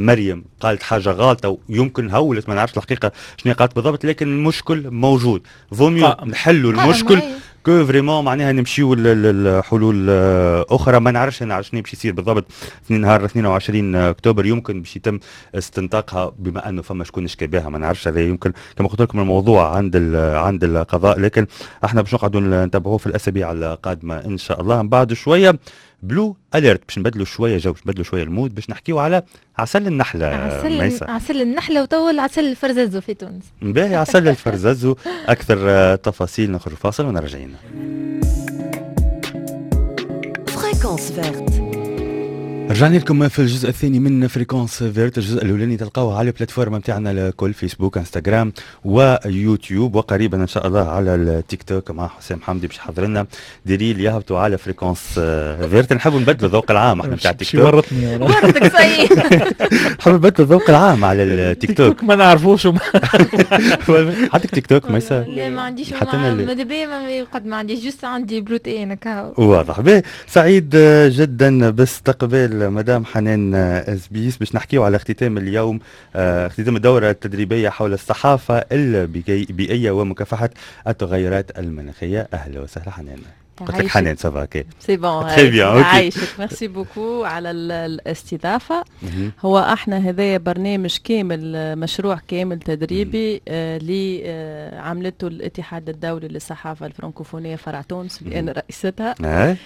مريم قالت حاجة غلطه ويمكن هولت، ما نعرفش الحقيقة شنو قالت بالضبط، لكن المشكل موجود، vaut mieux نحلوا المشكل que vraiment معناها نمشيو لحلول اخرى. ما نعرفش انا شنو باش يصير بالضبط في نهار 22 اكتوبر، يمكن باش يتم استنطاقها بما انه فما شكون شكى بها، ما نعرفش. هذا يمكن كما قلت لكم الموضوع عند القضاء، لكن احنا باش نقعدوا نتابعوه في الاسابيع القادمة ان شاء الله. من بعد شوية Blue Alert باش نبدلوا شوية جو، باش نبدلوا شوية ال mood، باش نحكيو على عسل النحله. عسل، عسل النحلة وتوا العسل الفرززو في تونس. باهي، عسل الفرززو، اكثر تفاصيل نخرج فاصل ونرجعين. Fréquence Verte. رجعنا لكم في الجزء الثاني من Fréquence Verte. الجزء الاولاني تلقاوه على ال plateformes نتاعنا الكل، فيسبوك، انستغرام ويوتيوب، وقريبا ان شاء الله على التيك توك مع حسام حمدي باش يحضر لنا des reels يهبطوا على Fréquence Verte. نحبوا نبدلوا الذوق العام احنا نتاع التيك توك. ورطني. ورطك صحيح. نحبوا نبدلوا الذوق العام على التيك توك. ما نعرفوش. عندك تيك توك ميسا؟ لا ما عنديش، ماذا بيا ما ما عنديش، juste عندي بلوتين هكا. واضح. سعيد جدا باستقبال مدام حنان زبيس باش نحكيو على اختتام اليوم اختتام الدورة التدريبية حول الصحافة البيئية ومكافحة التغيرات المناخية. أهلا وسهلا حنان. قلت لك حنان، ça va؟ OK. c'est bon. très bien، OK. عايشك، merci beaucoup على الاستضافه. هو احنا هذايا برنامج كامل، مشروع كامل تدريبي اللي عملته الاتحاد الدولي للصحافة الفرنكوفونيه فرع تونس اللي انا رئيستها.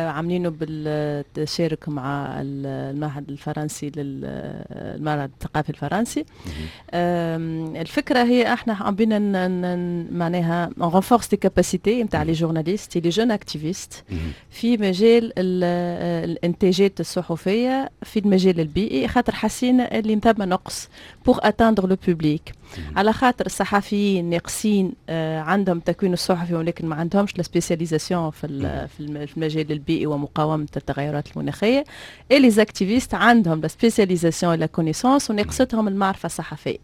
عاملينه بالتشارك مع المعهد الفرنسي، للمعهد الثقافي الفرنسي. الفكرة هي احنا حابين معناها on renforce les capacités نتاع les journalistes، les jeunes activistes في مجال الانتاجات الصحفية في المجال البيئي، خاطر حسينا اللي ثم نقص pour atteindre le public، على خاطر الصحفيين ناقصين، عندهم التكوين الصحفي ولكن ما عندهمش la spécialisation في المجال البيئي ومقاومة التغيرات المناخيه، et les activistes عندهم la spécialisation، la connaissance، وناقصتهم المعرفة الصحفيه.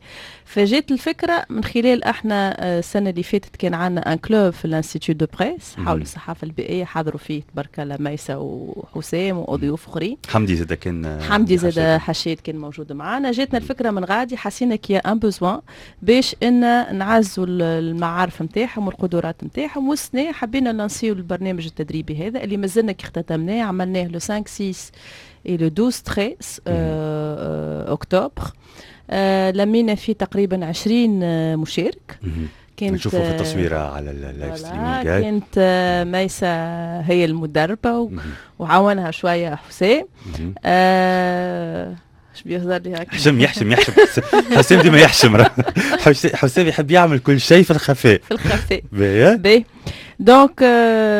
فجات الفكرة من خلال احنا السنة اللي فاتت كان عندنا un club في l'institut de presse حول الصحافة البيئيه، حضروا فيه تبارك الله ميسة وحسام وضيوف اخرين. حمدي زاد كان. حمدي زاد حشيد كان موجود معنا. جاتنا الفكرة من غادي، حسينا qu'il y a un besoin باش ان نعزوا المعارف نتاعهم والقدرات نتاعهم. والسنة حبينا نلانسيو البرنامج التدريبي هذا اللي مازلنا كي اختتمناه، عملناه le 5 6 et le 12 13 اكتوبر. لمينا فيه تقريبا 20 مشارك. كانت نشوفوا في التصويره على ال live streaming. كانت ميسة هي المدربة وعاونها شوية حسام. اش بيهزر لي هكا؟ حشم، يحشم يحشم حسام، ديما يحشم. حسام يحب يعمل كل شيء في الخفاء. في الخفاء. باهي. donc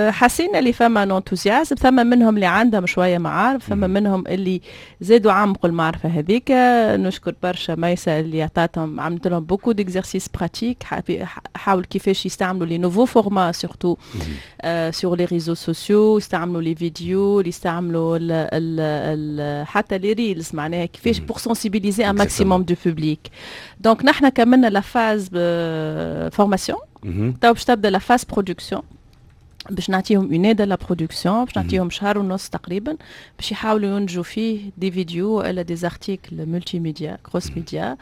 حسينا اللي فما un enthousiasme، ثم منهم اللي عندهم شوية معارف، ثم منهم اللي زادوا عمقوا المعرفة هذيك. نشكر برشا ميسا اللي عطاتهم، عملت لهم beaucoup d'exercices pratiques، حاول كيفاش يستعملوا les nouveaux formats surtout sur les réseaux sociaux، يستعملوا les vidéos، يستعملوا ال ال ال حتى les reels، معناها كيفاش pour sensibiliser un maximum de public. donc نحن كملنا la phase formation، تو باش تبدا la phase production، باش نعطيهم une aide à la production، باش نعطيهم شهر ونص تقريبا باش يحاولوا ينتجوا فيه des vidéos ولا des articles multimédia cross média.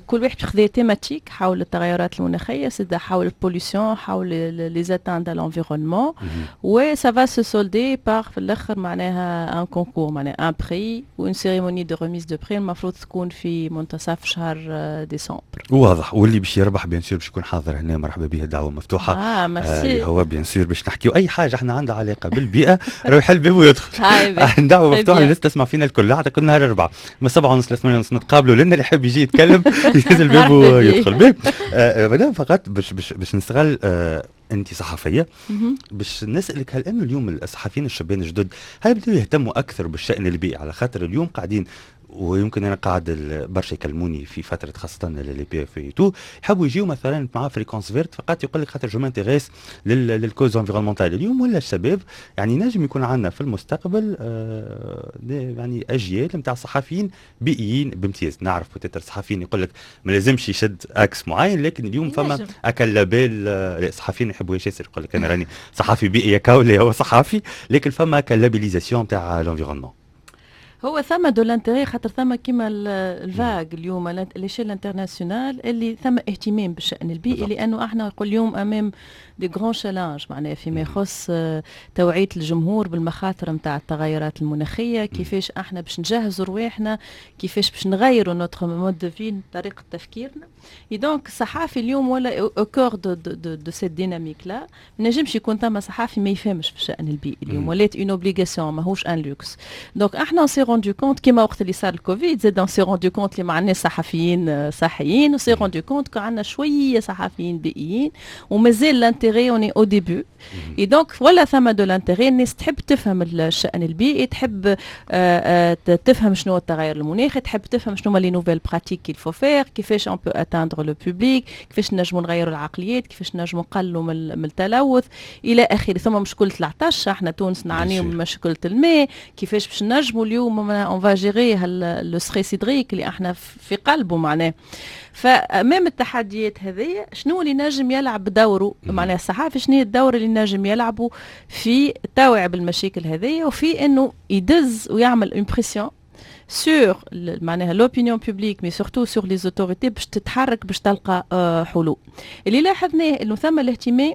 كل واحد خذا thématique حول التغيرات المناخيه، سيدا حول ال pollution، حول les atteintes à l'environnement، و ça va se solder par في الاخر معناها un concours، معناها un prix و une cérémonie de remise de prix المفروض تكون في منتصف شهر ديسمبر. واضح، واللي باش يربح bien sûr باش يكون حاضر هنا، مرحبا به، الدعوة مفتوحه. اه ميرسي. آه هو bien sûr باش نحكيو اي حاجة احنا عندها علاقة بالبيئه، راه يحل باب ويدخل. دعوه مفتوحة للناس تسمع فينا الكل، حتى كل نهار اربعة من 7:30 ل 8:30 نتقابلوا لنا، اللي يحب يجي يتكلم ينزل الباب ويدخل باب. مدام، فقط باش نستغل انت صحفية باش نسالك، هل انه اليوم الصحفيين الشبان الجدد هل بدوا يهتموا اكثر بالشان البيئي؟ على خاطر اليوم قاعدين، ويمكن انا قاعد برشا يكلموني في فترة خاصة les PFE et tout، يحبوا يجيو مثلا مع Fréquence Verte فقط يقول لك خاطر je m'intéresse لل cause environnementale. اليوم ولا الشباب يعني نجم يكون عندنا في المستقبل يعني اجيال نتاع صحفيين بيئيين بامتياز. نعرف peut-être صحفيين يقول لك ما لازمش يشد axe معين، لكن اليوم فما هاك ال label، صحفيين يحبوا ياسر يقول لك انا راني صحفي بيئي كاولي هو صحفي، لكن فما هاك ال labellisation تاع l'environnement. هو ثم de l'intérêt، خاطر ثم كيما ال vague اليوم l'échelle internationale اللي ثم اهتمام بالشان البيئي، لانه احنا نقول اليوم امام des grands challenges، معناها فيما يخص توعيه الجمهور بالمخاطر نتاع التغيرات المناخيه، كيفاش احنا باش نجهزوا رواحنا، كيفاش باش نغيروا notre mode de vie، طريقه تفكيرنا. donc الصحافي اليوم ولا au cœur de cette dynamique-là. ما نجمش يكون ثم صحافي ما يفهمش في الشان البيئي. اليوم ولات une obligation، ماهوش un luxe. donc احنا on s'est rendu compte كيما وقت اللي صار الكوفيد زاد on s'est rendu compte اللي ما عندناش صحفيين صحيين، و s'est rendu compte عندنا شوية صحفيين بيئيين، ومازال l'intérêt، on est au début. et donc ولا ثم de l'intérêt، الناس تحب تفهم الشان البيئي، تحب تفهم شنو التغير المناخي، تحب تفهم شنو les nouvelles pratiques qu'il faut faire، كيفاش on peut atteindre le public، كيفاش نجموا نغيروا العقليات، كيفاش نجموا نقلوا من التلوث الى اخره. ثم مشكلة العطش، احنا تونس نعانيو من مشكلة الماء، كيفاش باش نجموا اليوم on va gérer le stress hydrique اللي احنا في قلبه معناه. فامام التحديات هذه شنو اللي نجم يلعب دوره معناها الصحافي؟ شنو هي الدور اللي نجم يلعبه في التوعية بالمشاكل هذه وفي انه يدز ويعمل une pression sur معناها l'opinion publique mais surtout sur les autorités باش تتحرك، باش تلقى حلول؟ اللي لاحظناه انه ثم الاهتمام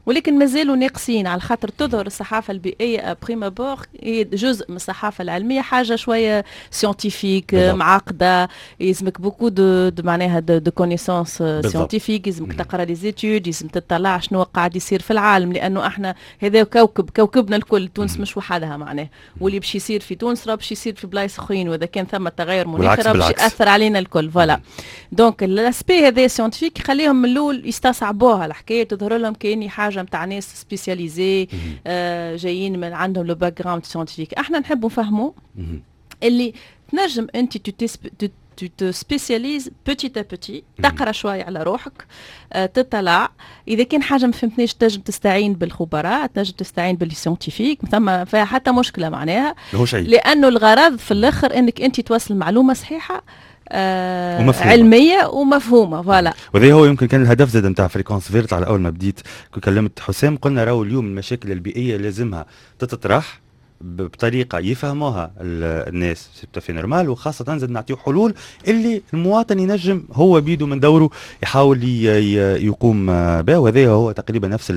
ولكن مازالوا ناقصين، على خاطر تظهر الصحافة البيئية prime abord هي جزء من الصحافة العلميه، حاجة شوية scientifique معقده، يلزمك beaucoup de معناها de connaissances scientifiques، يلزمك تقرا les études، يلزم تطلع شنو قاعد يصير في العالم، لانه احنا هذا كوكب، كوكبنا الكل، تونس مش وحدها معناه، واللي باش يصير في تونس راه باش يصير في بلايص اخرين، واذا كان ثم تغير مناخي راه باش ياثر علينا الكل. voilà، donc l'aspect هذا scientifique يخليهم من الاول يستصعبوها الحكايه، تظهر لهم كاني حاجة نتاع ناس spécialisés جايين من عندهم le background scientifique. احنا نحبوا نفهموا اللي تنجم انت tu te spécialises petit à petit، تقرا شوية على روحك، تطلع، اذا كان حاجة ما فهمتنيش تنجم تستعين بالخبراء، تنجم تستعين بال scientifiques، ثم فيها حتى مشكلة معناها، لانه الغرض في الاخر انك انت توصل معلومة صحيحه ومفهومة. علمية ومفهومه، voilà. وهذا هو يمكن كان الهدف زاد نتاع Fréquence Verte. على اول ما بديت كلمت حسام قلنا راهو اليوم المشاكل البيئية لازمها تتطرح بطريقة يفهموها الناس، c'est tout à fait normal، وخاصة زاد نعطيو حلول اللي المواطن ينجم هو بيدو من دوره يحاول يقوم بها. وهذا هو تقريبا نفس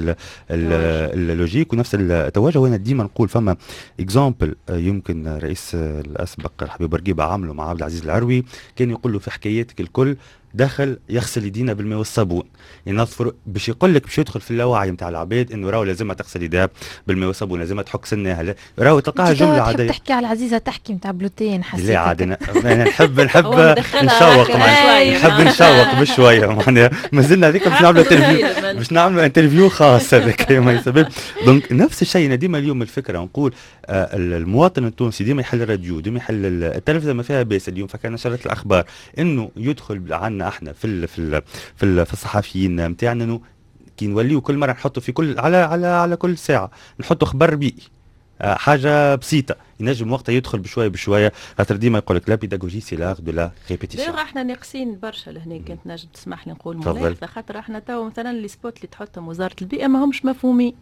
ال logique ونفس التوجه. وانا ديما نقول فما exemple يمكن الرئيس الاسبق الحبيب بورقيبة عمله مع عبد العزيز العروي، كان يقول له في حكاياتك الكل ديما دخل يغسل يدينا بالماء والصابون، ينظفوا باش يقول لك باش يدخل في اللاوعي نتاع العباد انه راهو لازمها تغسل يديها بالماء والصابون، لازمها تحك سنها، راهو تلقاها جملة عادية. تحكي على عزيزه تحكي نتاع بلوتين، حسيت لا عاد انا نحب نشوق، نحب نشوق بشوية معناها مازلنا هذيك باش نعملوا interview، باش نعملوا interview خاص هذاك ما يسبب. donc نفس الشيء ديما اليوم الفكرة نقول المواطن التونسي ديما يحل الراديو، ديما يحل التلفزة، ما فيها باس اليوم فكان نشرت الاخبار انه يدخل عنا احنا في في في, في الصحفيين نتاعنا انه كي نوليو كل مرة نحطوا في كل على على على كل ساعة نحطوا خبر بيئي، حاجة بسيطة ينجم وقتها يدخل بشوية بشوية، خاطر ديما يقول لك la pédagogie c'est l'art de la répétition. احنا ناقصين برشا لهنا، كنت نجم تسمح لي نقول ملاحظة، خاطر احنا تو مثلا les spots اللي تحطهم وزارة البيئة ما همش مفهومين،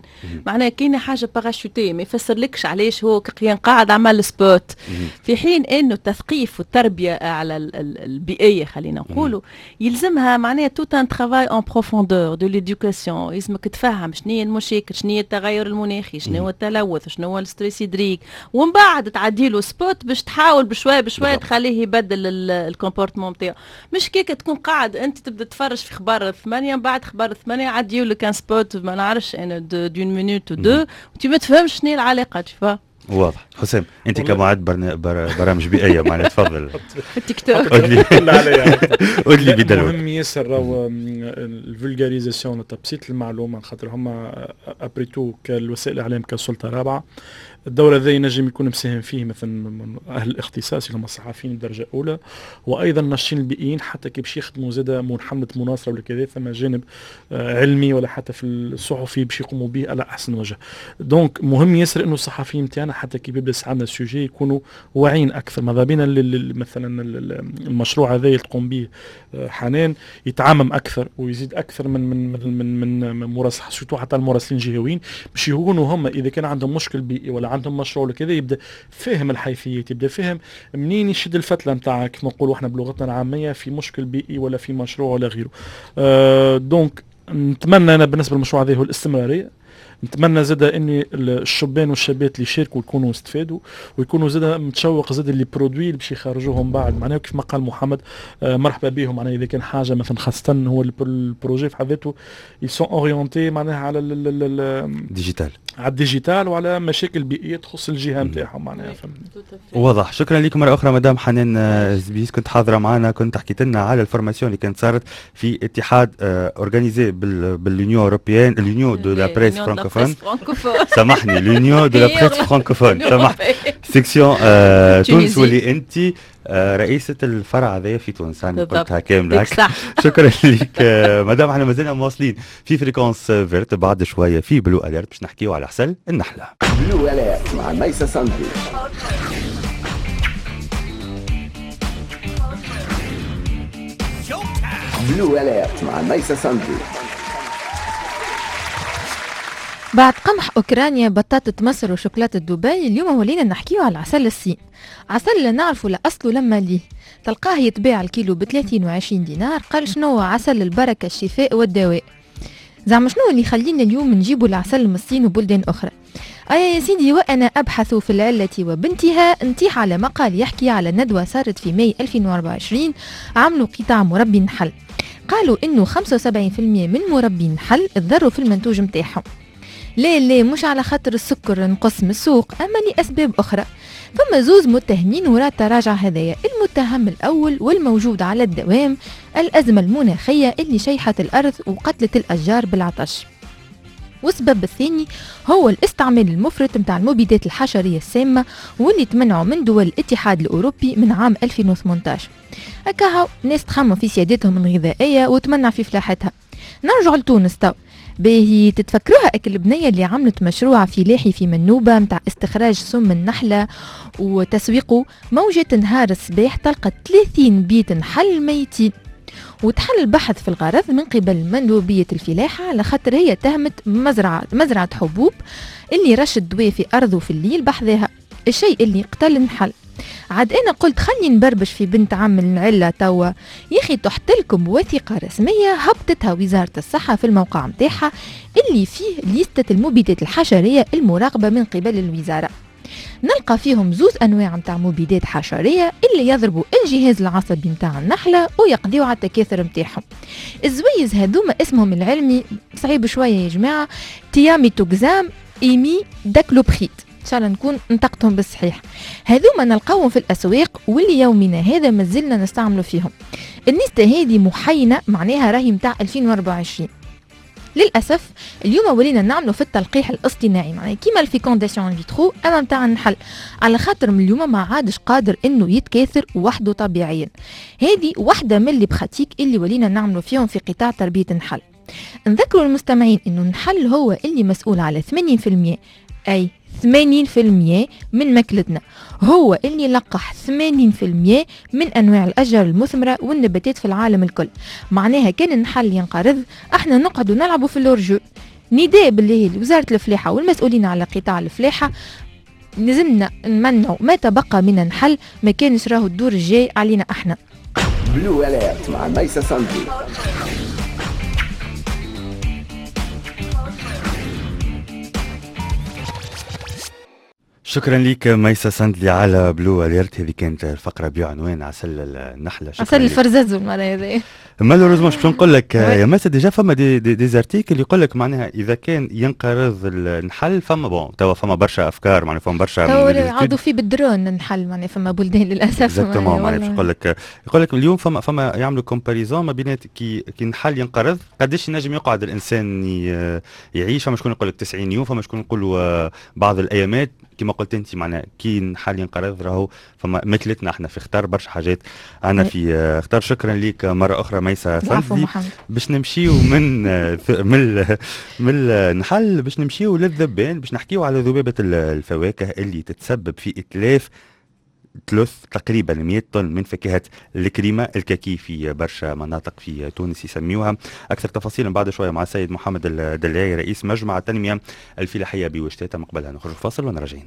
معناها كاينه حاجة parachutée ما يفسرلكش علاش هو كان قاعد عمل spot، في حين انه التثقيف والتربية على البيئية خلينا نقولوا يلزمها معناها tout un travail en profondeur de l'éducation، يلزمك تفهم شنو هي المشاكل، شنو هي التغير المناخي، شنو هو التلوث، شنو هو ال stress hydrique، ومن بعد تعدي له spot باش تحاول بشوية بشوية تخليه يبدل ال comportement نتاعو. مش كيك تكون قاعد انت تبدا تتفرج في اخبار 8، من بعد اخبار 8 عديو لك un spot ما نعرفش انا d'une minute ou deux، وانت ما تفهمش شنو العلاقة. تشوفها واضح. حسام انت كمعد برامج بيئية معنا تفضل. في التيك توك قول لي بدلو. مهم ياسر راهو ال vulgarisation، تبسيط المعلومة، خاطر هما après tout كالوسائل الاعلام كسلطه رابعه الدور هذا ينجم يكون مساهم فيه مثلا اهل الاختصاص اللي هم الصحفيين بدرجة اولى، وايضا الناشطين البيئيين حتى كي باش يخدموا زاده من حمله مناصرة ولا كذا، ثم جانب علمي ولا حتى في الصحفي باش يقوموا به على احسن وجه. donc مهم ياسر انه الصحفيين نتاعنا حتى كي بيبدا عندنا sujet يكونوا واعيين اكثر. ماذا بينا مثلا المشروع هذا اللي تقوم به حنان يتعمم اكثر ويزيد اكثر من من من من مراسل، surtout حتى المراسلين الجهويين باش يكونوا هم اذا كان عندهم مشكل بيئي ولا عندهم مشروع ولا كذا يبدا فاهم الحيثيات، يبدا فاهم منين يشد الفتله نتاع كيف نقولوا احنا بلغتنا العامية في مشكل بيئي ولا في مشروع ولا غيره. donc نتمنى انا بالنسبة للمشروع هذا هو الاستمرارية، نتمنى زاد ان الشبان والشابات اللي يشاركوا يكونوا استفادوا ويكونوا زاد متشوق زاد les produits اللي باش يخرجوهم بعد، معناها كيف ما قال محمد مرحبا بهم، معناها اذا كان حاجة مثلا خاصة هو ال projet في حد ذاته ils sont orientés معناها على ال digital، على ال digital وعلى مشاكل بيئية تخص الجهة نتاعهم معناها. واضح. شكرا لكم مرة اخرى مدام حنان زبيس، كنت حاضره معنا، كنت حكيت لنا على ال formation اللي كانت صارت في اتحاد organisée بال l'Union européenne، l'Union de la presse francophone، سامحني l'Union de la presse francophone، سامحني section تونس، واللي انت رئيسة الفرع هذايا في تونس، يعني قلتها كاملة. شكرا لك مدام. احنا مازلنا مواصلين في Fréquence Verte بعد شوية في Blue Alert باش نحكيو على عسل النحلة. Blue Alert مع ميسا ساندي. Blue Alert مع ميسا ساندي. بعد قمح أوكرانيا، بطاطا مصر، وشوكولاتة دبي، اليوم ولينا نحكيو على عسل الصين. عسل لا نعرفوا لا أصله لما ليه، تلقاه يتباع الكيلو ب 30 و20 دينار. قال شنو عسل البركة الشفاء والدواء. زعما شنو اللي يخلينا اليوم نجيبوا العسل من الصين وبلدان أخرى؟ أيا يا سيدي، وأنا أبحث في العلة وبنتها نتيح على مقال يحكي على ندوة صارت في ماي 2024 عملوا قطاع مربي نحل. قالوا إنه 75% من مربي نحل تضروا في المنتوج متاعهم. لا لا مش على خاطر السكر نقص من السوق، أما لأسباب أخرى. ثم زوز متهمين وراء التراجع هذايا. المتهم الأول والموجود على الدوام الأزمة المناخية اللي شيحت الأرض وقتلت الأشجار بالعطش، والسبب الثاني هو الاستعمال المفرط متاع المبيدات الحشرية السامة واللي تمنعوا من دول الاتحاد الأوروبي من عام 2018. هكاهو ناس تخمم في سيادتهم الغذائية وتمنع في فلاحتها. نرجع لتونس تو. باهي تتفكروها اك البنية اللي عملت مشروع فلاحي في منوبة متاع استخراج سم النحلة وتسويقه، موجة نهار الصباح تلقى 30 بيت نحل ميتين، وتحل البحث في الغرض من قبل مندوبية الفلاحة على خاطر هي تهمت مزرعة حبوب اللي رش الدواء في أرضه في الليل بحذاها، الشيء اللي قتل النحل. عاد أنا قلت خلي نبربش في بنت عم العلة توا، يا أخي تحت لكم وثيقة رسمية هبطتها وزارة الصحة في الموقع متاعها اللي فيه ليستة المبيدات الحشرية المراقبة من قبل الوزارة. نلقى فيهم زوز انواع نتاع مبيدات حشريه اللي يضربوا الجهاز العصبي نتاع النحلة ويقضيوا على التكاثر نتاعهم. الزويز هذوما اسمهم العلمي صعيب شوية يا جماعة، thiamethoxam imidaclopride، ان شاء الله نكون نطقتهم بالصحيح. هذوما نلقاوهم في الاسواق واللي يومنا هذا مازلنا نستعملوا فيهم. النسبة هذه محينه، معناها راهي نتاع 2024. للاسف اليوم ولينا نعملوا في التلقيح الاصطناعي، معناها كيما ال fécondation in vitro اما نتاع النحل، على خاطر من اليوم ما عادش قادر انه يتكاثر وحده طبيعيا. هذه واحدة من les pratiques اللي ولينا نعملوا فيهم في قطاع تربيه النحل. نذكروا المستمعين انه النحل هو اللي مسؤول على 80%، اي 80% من ماكلتنا، هو اللي لقح 80% من أنواع الأشجار المثمرة والنباتات في العالم الكل. معناها كان النحل ينقرض احنا نقعدوا نلعبوا في ال hors-jeu. نداء بالله لوزارة الفلاحة والمسؤولين على قطاع الفلاحة، لازمنا نمنعوا ما تبقى من النحل، ما كانش راهو الدور الجاي علينا احنا. Blue Alert مع ميسة صندي. شكرا لك ميسة سندلي على Blue Alert. هذه كانت الفقرة بعنوان عسل النحلة. عسل الفرزازو المرة هذه. malheureusement باش نقول لك يا ميسة، déjà فما des articles يقول لك معناها اذا كان ينقرض النحل فما bon توا فما برشا افكار، معناها فما برشا عادوا فيه بالدرون النحل، معناها فما بلدان للاسف. exactement، معناها باش نقول لك يقول لك اليوم فما يعملوا comparaison ما بين كي النحل ينقرض قداش ينجم يقعد الانسان يعيش. فما شكون يقول لك 90 يوم، فما شكون يقول بعض الايامات. كما قلت انت معناها كي النحل ينقرض راهو فما مثلتنا احنا في خطر، برشا حاجات انا في خطر. شكرا لك مرة اخرى ميسة سندلي. باش نمشيو من من من النحل باش نمشيو للذبان، باش نحكيو على ذبابة الفواكه اللي تتسبب في اتلاف ثلث تقريبا 100 طن من فاكهة الكريمة الكاكي في برشا مناطق في تونس يسميوها. أكثر تفاصيل بعد شوية مع السيد محمد الدلاعي رئيس مجمع التنمية الفلاحية بوشتاتا. مقبلها نخرج فاصل ونراجعين.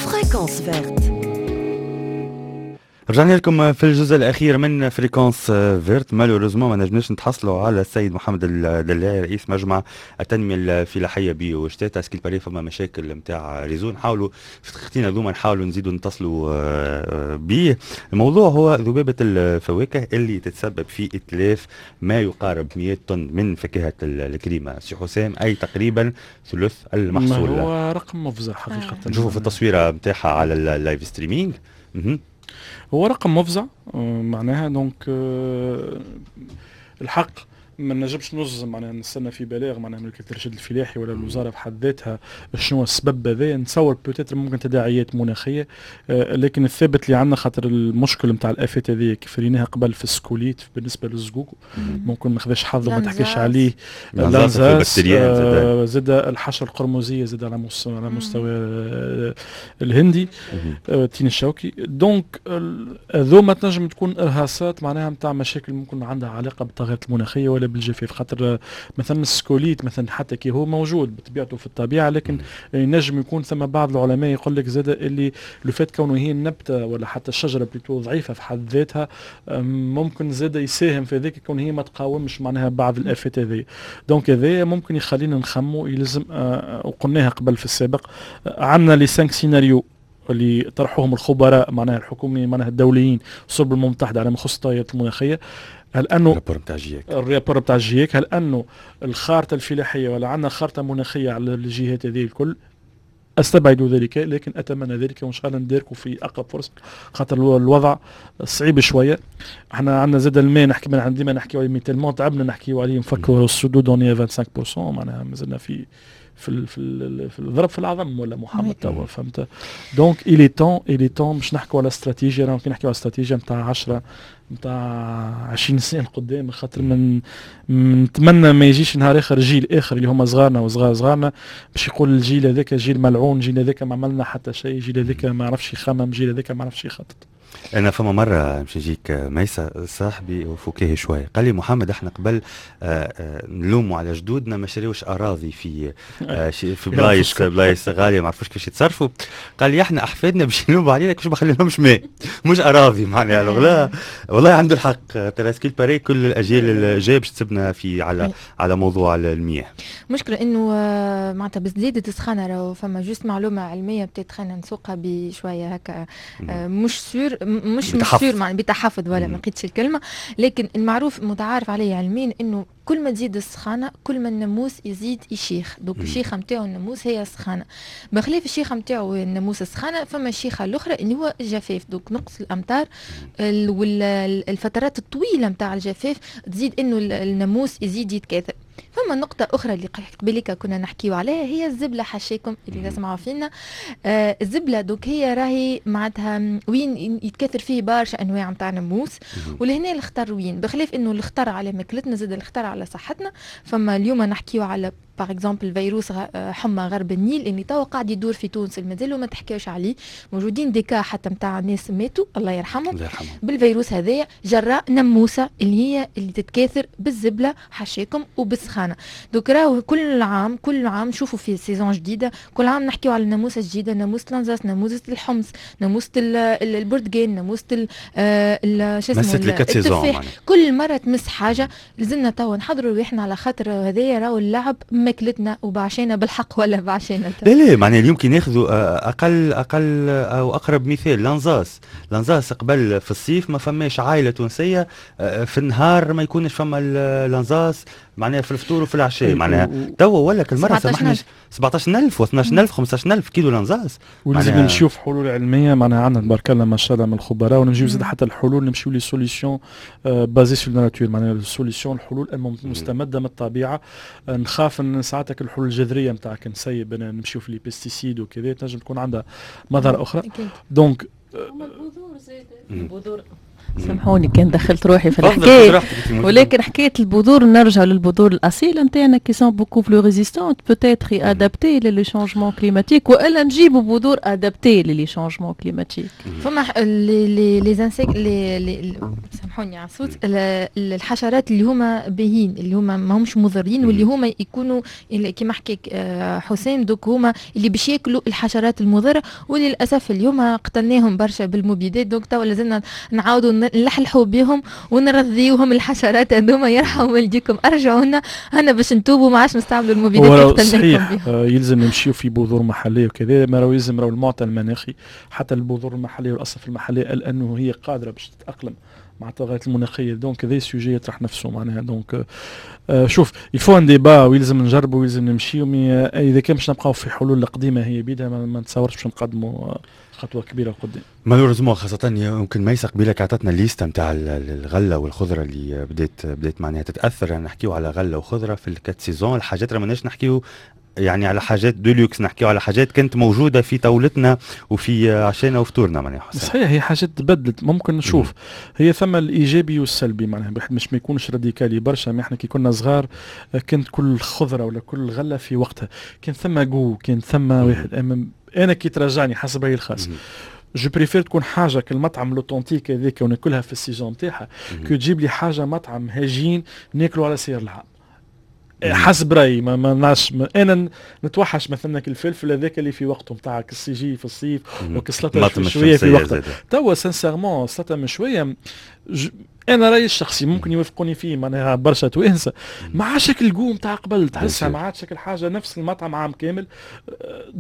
Fréquence Verte. رجعنا لكم في الجزء الاخير من Fréquence Verte. malheureusement ما نجمناش نتحصلوا على السيد محمد الدلاعي رئيس مجمع التنمية الفلاحية بوشتاتا. ce qu'il paraît فما مشاكل نتاع réseau، نحاولوا في دقيقتين هذوما نحاولوا نزيدوا نتصلوا به. الموضوع هو ذبابة الفواكه اللي تتسبب في اتلاف ما يقارب 100 طن من فاكهة الكريمة سي حسام، اي تقريبا ثلث المحصول. هو رقم مفزع حقيقة. نشوفوا في التصويره نتاعها على ال live streaming. هو رقم مفزع معناها، donc الحق ما نجمش نجزم معناها نستنى في بلاغ معناها من وكالة الارشاد الفلاحي ولا الوزارة بحد ذاتها شنو السبب هذا. نتصور peut-être ممكن تداعيات مناخيه، لكن الثابت اللي عندنا خاطر المشكل نتاع الافات هذه كيف ريناها قبل في ال scolyte بالنسبة للزقوق ممكن ما خذاش حظه وما تحكيش عليه، l'anzas زاد الحشرة القرمزيه زاد على مستوى الهندي التين الشوكي. donc هذوما تنجم تكون ارهاصات معناها نتاع مشاكل ممكن عندها علاقة بالتغيرات المناخية ولا بالجفاف. خاطر مثلا ال scolyte مثلا حتى كي هو موجود بطبيعته في الطبيعة، لكن ينجم يكون ثم بعض العلماء يقول لك زاد اللي لو فات كونه هي النبتة ولا حتى الشجرة plutôt ضعيفة في حد ذاتها ممكن زاد يساهم في ذلك كون هي ما تقاومش معناها بعض الافات هذه. donc هذا ممكن يخلينا نخمو يلزم، وقلناها قبل في السابق، عندنا les 5 scénarios اللي طرحوهم الخبراء معناها الحكومي معناها الدوليين صلب الامم المتحدة على ما يخص التغيرات المناخية. هل انه ال rapport نتاع GIEC، ال rapport نتاع GIEC، هل انه الخارطة الفلاحية ولا عندنا خارطة مناخيه على الجهات هذه الكل؟ استبعد ذلك، لكن اتمنى ذلك وان شاء الله نداركوا في اقرب فرصة، خاطر الوضع صعيب شوية. احنا عندنا زاد الماء نحكي من ديما نحكيو عليه tellement تعبنا نحكيو عليه، نفكروا السدود on est 25% معناها مازلنا في في في في الضرب في العظم ولا محمد توا، فهمت؟ donc il est temps، il est temps باش نحكوا على استراتيجية. راهو كي نحكيو على استراتيجية نتاع 10 نتاع 20 سنة لقدام، خاطر من نتمنى ما يجيش نهار اخر جيل اخر اللي هما صغارنا وصغار صغارنا باش يقول الجيل هذاك جيل ملعون، جيل هذاك ما عملنا حتى شيء، جيل هذاك ما عرفش يخمم، جيل هذاك ما عرفش يخطط. انا فما مرة مش نجيك ميسة، صاحبي وفكاهي شوية، قال لي محمد احنا قبل نلوموا على جدودنا ما شريوش اراضي في بلايص غالية، ما عرفوش كيفاش يتصرفوا. قال لي احنا احفادنا باش يلوموا علينا كيفاش ما خليناهمش ماء مش اراضي معناها. لا والله عنده الحق، ترى ce qu'il paraît كل الاجيال الجاية باش تسبنا في على موضوع المياه. مشكلة انه معناتها بزيادة السخانه، راهو فما juste معلومة علمية peut-être خلينا نسوقها بشوية هكا، مش sûr مش sûr معناها بتحفظ ولا ما لقيتش الكلمه، لكن المعروف متعارف عليه علميا انه كل ما تزيد السخانه كل ما الناموس يزيد يشيخ. donc الشيخه نتاعو الناموس هي السخانه. بخلاف الشيخه نتاعو الناموس السخانه، فما الشيخه الاخرى اللي هو الجفاف. donc نقص الامطار والفترات الطويلة نتاع الجفاف تزيد انه الناموس يزيد يتكاثر. فما نقطة أخرى اللي قبلك كنا نحكيو عليها، هي الزبلة، حاشاكم اللي تسمعوا فينا. الزبلة donc هي راهي معناتها وين يتكاثر فيه برشا أنواع نتاع ناموس، ولهنا الخطر وين، بخلاف إنه الخطر على ماكلتنا زاد الخطر على صحتنا. فما اليوم نحكيو على par exemple فيروس حمى غرب النيل اللي توا قاعد يدور في تونس، مازالوا ما تحكاوش عليه، موجودين des cas حتى نتاع ناس ماتوا الله يرحمهم، الله يرحمهم، بالفيروس هذايا جراء ناموسه اللي هي اللي تتكاثر بالزبله حاشاكم وبالسخانه. donc راهو كل عام كل عام نشوفوا في saison جديده، كل عام نحكيو على الناموسه الجديده، ناموسه l'anzas، ناموسه الحمص، ناموسه البرتقال، ناموسه شو اسمه التفاح. كل مرة تمس حاجه. لازمنا توا نحضروا رواحنا على خاطر هذايا راهو اللعب ماكلتنا وبعشينا بالحق ولا بعشينا. لا لا، معناها اليوم كي ناخذوا اقل او اقرب مثال l'anzas، l'anzas قبل في الصيف ما فماش عائلة تونسية في النهار ما يكونش فما l'anzas، معناها في الفطور وفي العشاء. معناها توا ولا كل مرة سامحني 17000 و12000 15000 كيلو l'anzas. ولازم نمشيو في حلول علميه، معناها عندنا تبارك الله ما شاء الله من الخبراء، ونمشيو زاد حتى الحلول، نمشيو les solutions basées sur la nature، معناها ال solutions الحلول المستمدة من الطبيعه. نخاف ان ساعتك الحلول الجذرية نتاعك نسيب نمشيو في les pesticides وكذا تنجم تكون عندها مضار اخرى. donc البذور زاد البذور، سامحوني كان دخلت روحي في الحكاية، ولكن حكاية البذور، نرجع للبذور الاصيلة نتاعنا qui sont beaucoup plus résistantes peut-être adaptées les changements climatiques، والا نجيبوا بذور adaptées les changements climatiques. فما les insectes les سامحوني على الصوت، الحشرات اللي هما باهين، اللي هما ما همش مضرين، واللي هما يكونوا كيما حكيك حسام، donc هما اللي باش ياكلوا الحشرات المضره، وللاسف اليوم قتلناهم برشا بالمبيدات. donc توا لازمنا نعاودوا نلحلحوا بهم ونرضيوهم الحشرات هذوما. يرحم والديكم ارجعوا لنا انا باش نتوبوا ما عادش نستعملوا المبيدات اللي قتلناكم بهم. يلزم نمشيو في بذور محليه وكذا، ما راهو يلزم راهو المعطى المناخي حتى البذور المحلية والاصناف المحليه، لانه هي قادرة باش تتاقلم مع التغيرات المناخيه. donc هذا sujet يطرح نفسه معناها. donc شوف il faut un débat، ويلزم نجربوا ويلزم نمشيو، mais اذا كان باش نبقاو في حلول القديمة هي بيدها ما نتصورش باش نقدموا خطوة كبيرة قدام. malheureusement خاصة يمكن ميسة قبيلك عطتنا الليستة نتاع الغلة والخضره اللي بدات معناها تتاثر. يعني نحكيو على غله وخضره في ال quatre saisons، الحاجات راه ماناش نحكيو يعني على حاجات de luxe، نحكيو على حاجات كانت موجودة في طاولتنا وفي عشانا وفطورنا معناها. صحيح، هي حاجات تبدلت. ممكن نشوف هي ثم الايجابي والسلبي، معناها مش ما يكونش radical برشا. ما احنا كي كنا صغار كانت كل خضرة ولا كل غله في وقتها، كان ثم goût، كان ثم واحد. انا كي ترجعني حسب رايي الخاص je préfère تكون حاجة كالمطعم l'authentique هذاك وناكلها في ال saison نتاعها، que تجيب لي حاجة مطعم هجين ناكلو على سير العام. حسب رايي ما نعرفش، انا نتوحش مثلا الفلفل هذاك اللي في وقته نتاعك السيجي في الصيف وكسلطه شوية في وقتها. توا sincèrement سلطة مشوية، انا رايي الشخصي ممكن يوافقوني فيه معناها برشا توانسه، ما عادش ال goût نتاع قبل، تحسها ما عادش الحاجة نفس المطعم عام كامل.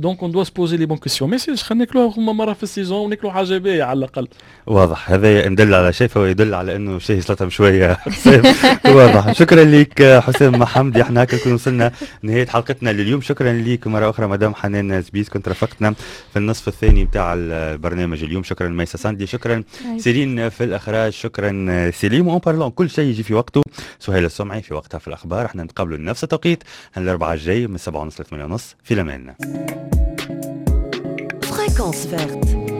donc on doit se poser les bonnes questions، ما يصيرش خلينا ناكلوها مرة في ال saison وناكلوا حاجة باهيه على الاقل. واضح، هذا يدل على شيء فهو يدل على انه شيء سلطة مشوية. واضح. شكرا لك حسام محمدي، احنا هكا نكون وصلنا نهاية حلقتنا لليوم. شكرا لك مرة اخرى مدام حنان زبيس، كنت رافقتنا في النصف الثاني نتاع البرنامج اليوم. شكرا ميسا ساندي، شكرا سيرين في الاخراج، شكرا سليم. en parlant كل شيء يجي في وقته، سهيل السمعي في وقتها في الاخبار. احنا نتقابلوا نفس التوقيت الاربعاء الجاي من 7:30 ل 8:30. في الامان. Fréquence verte.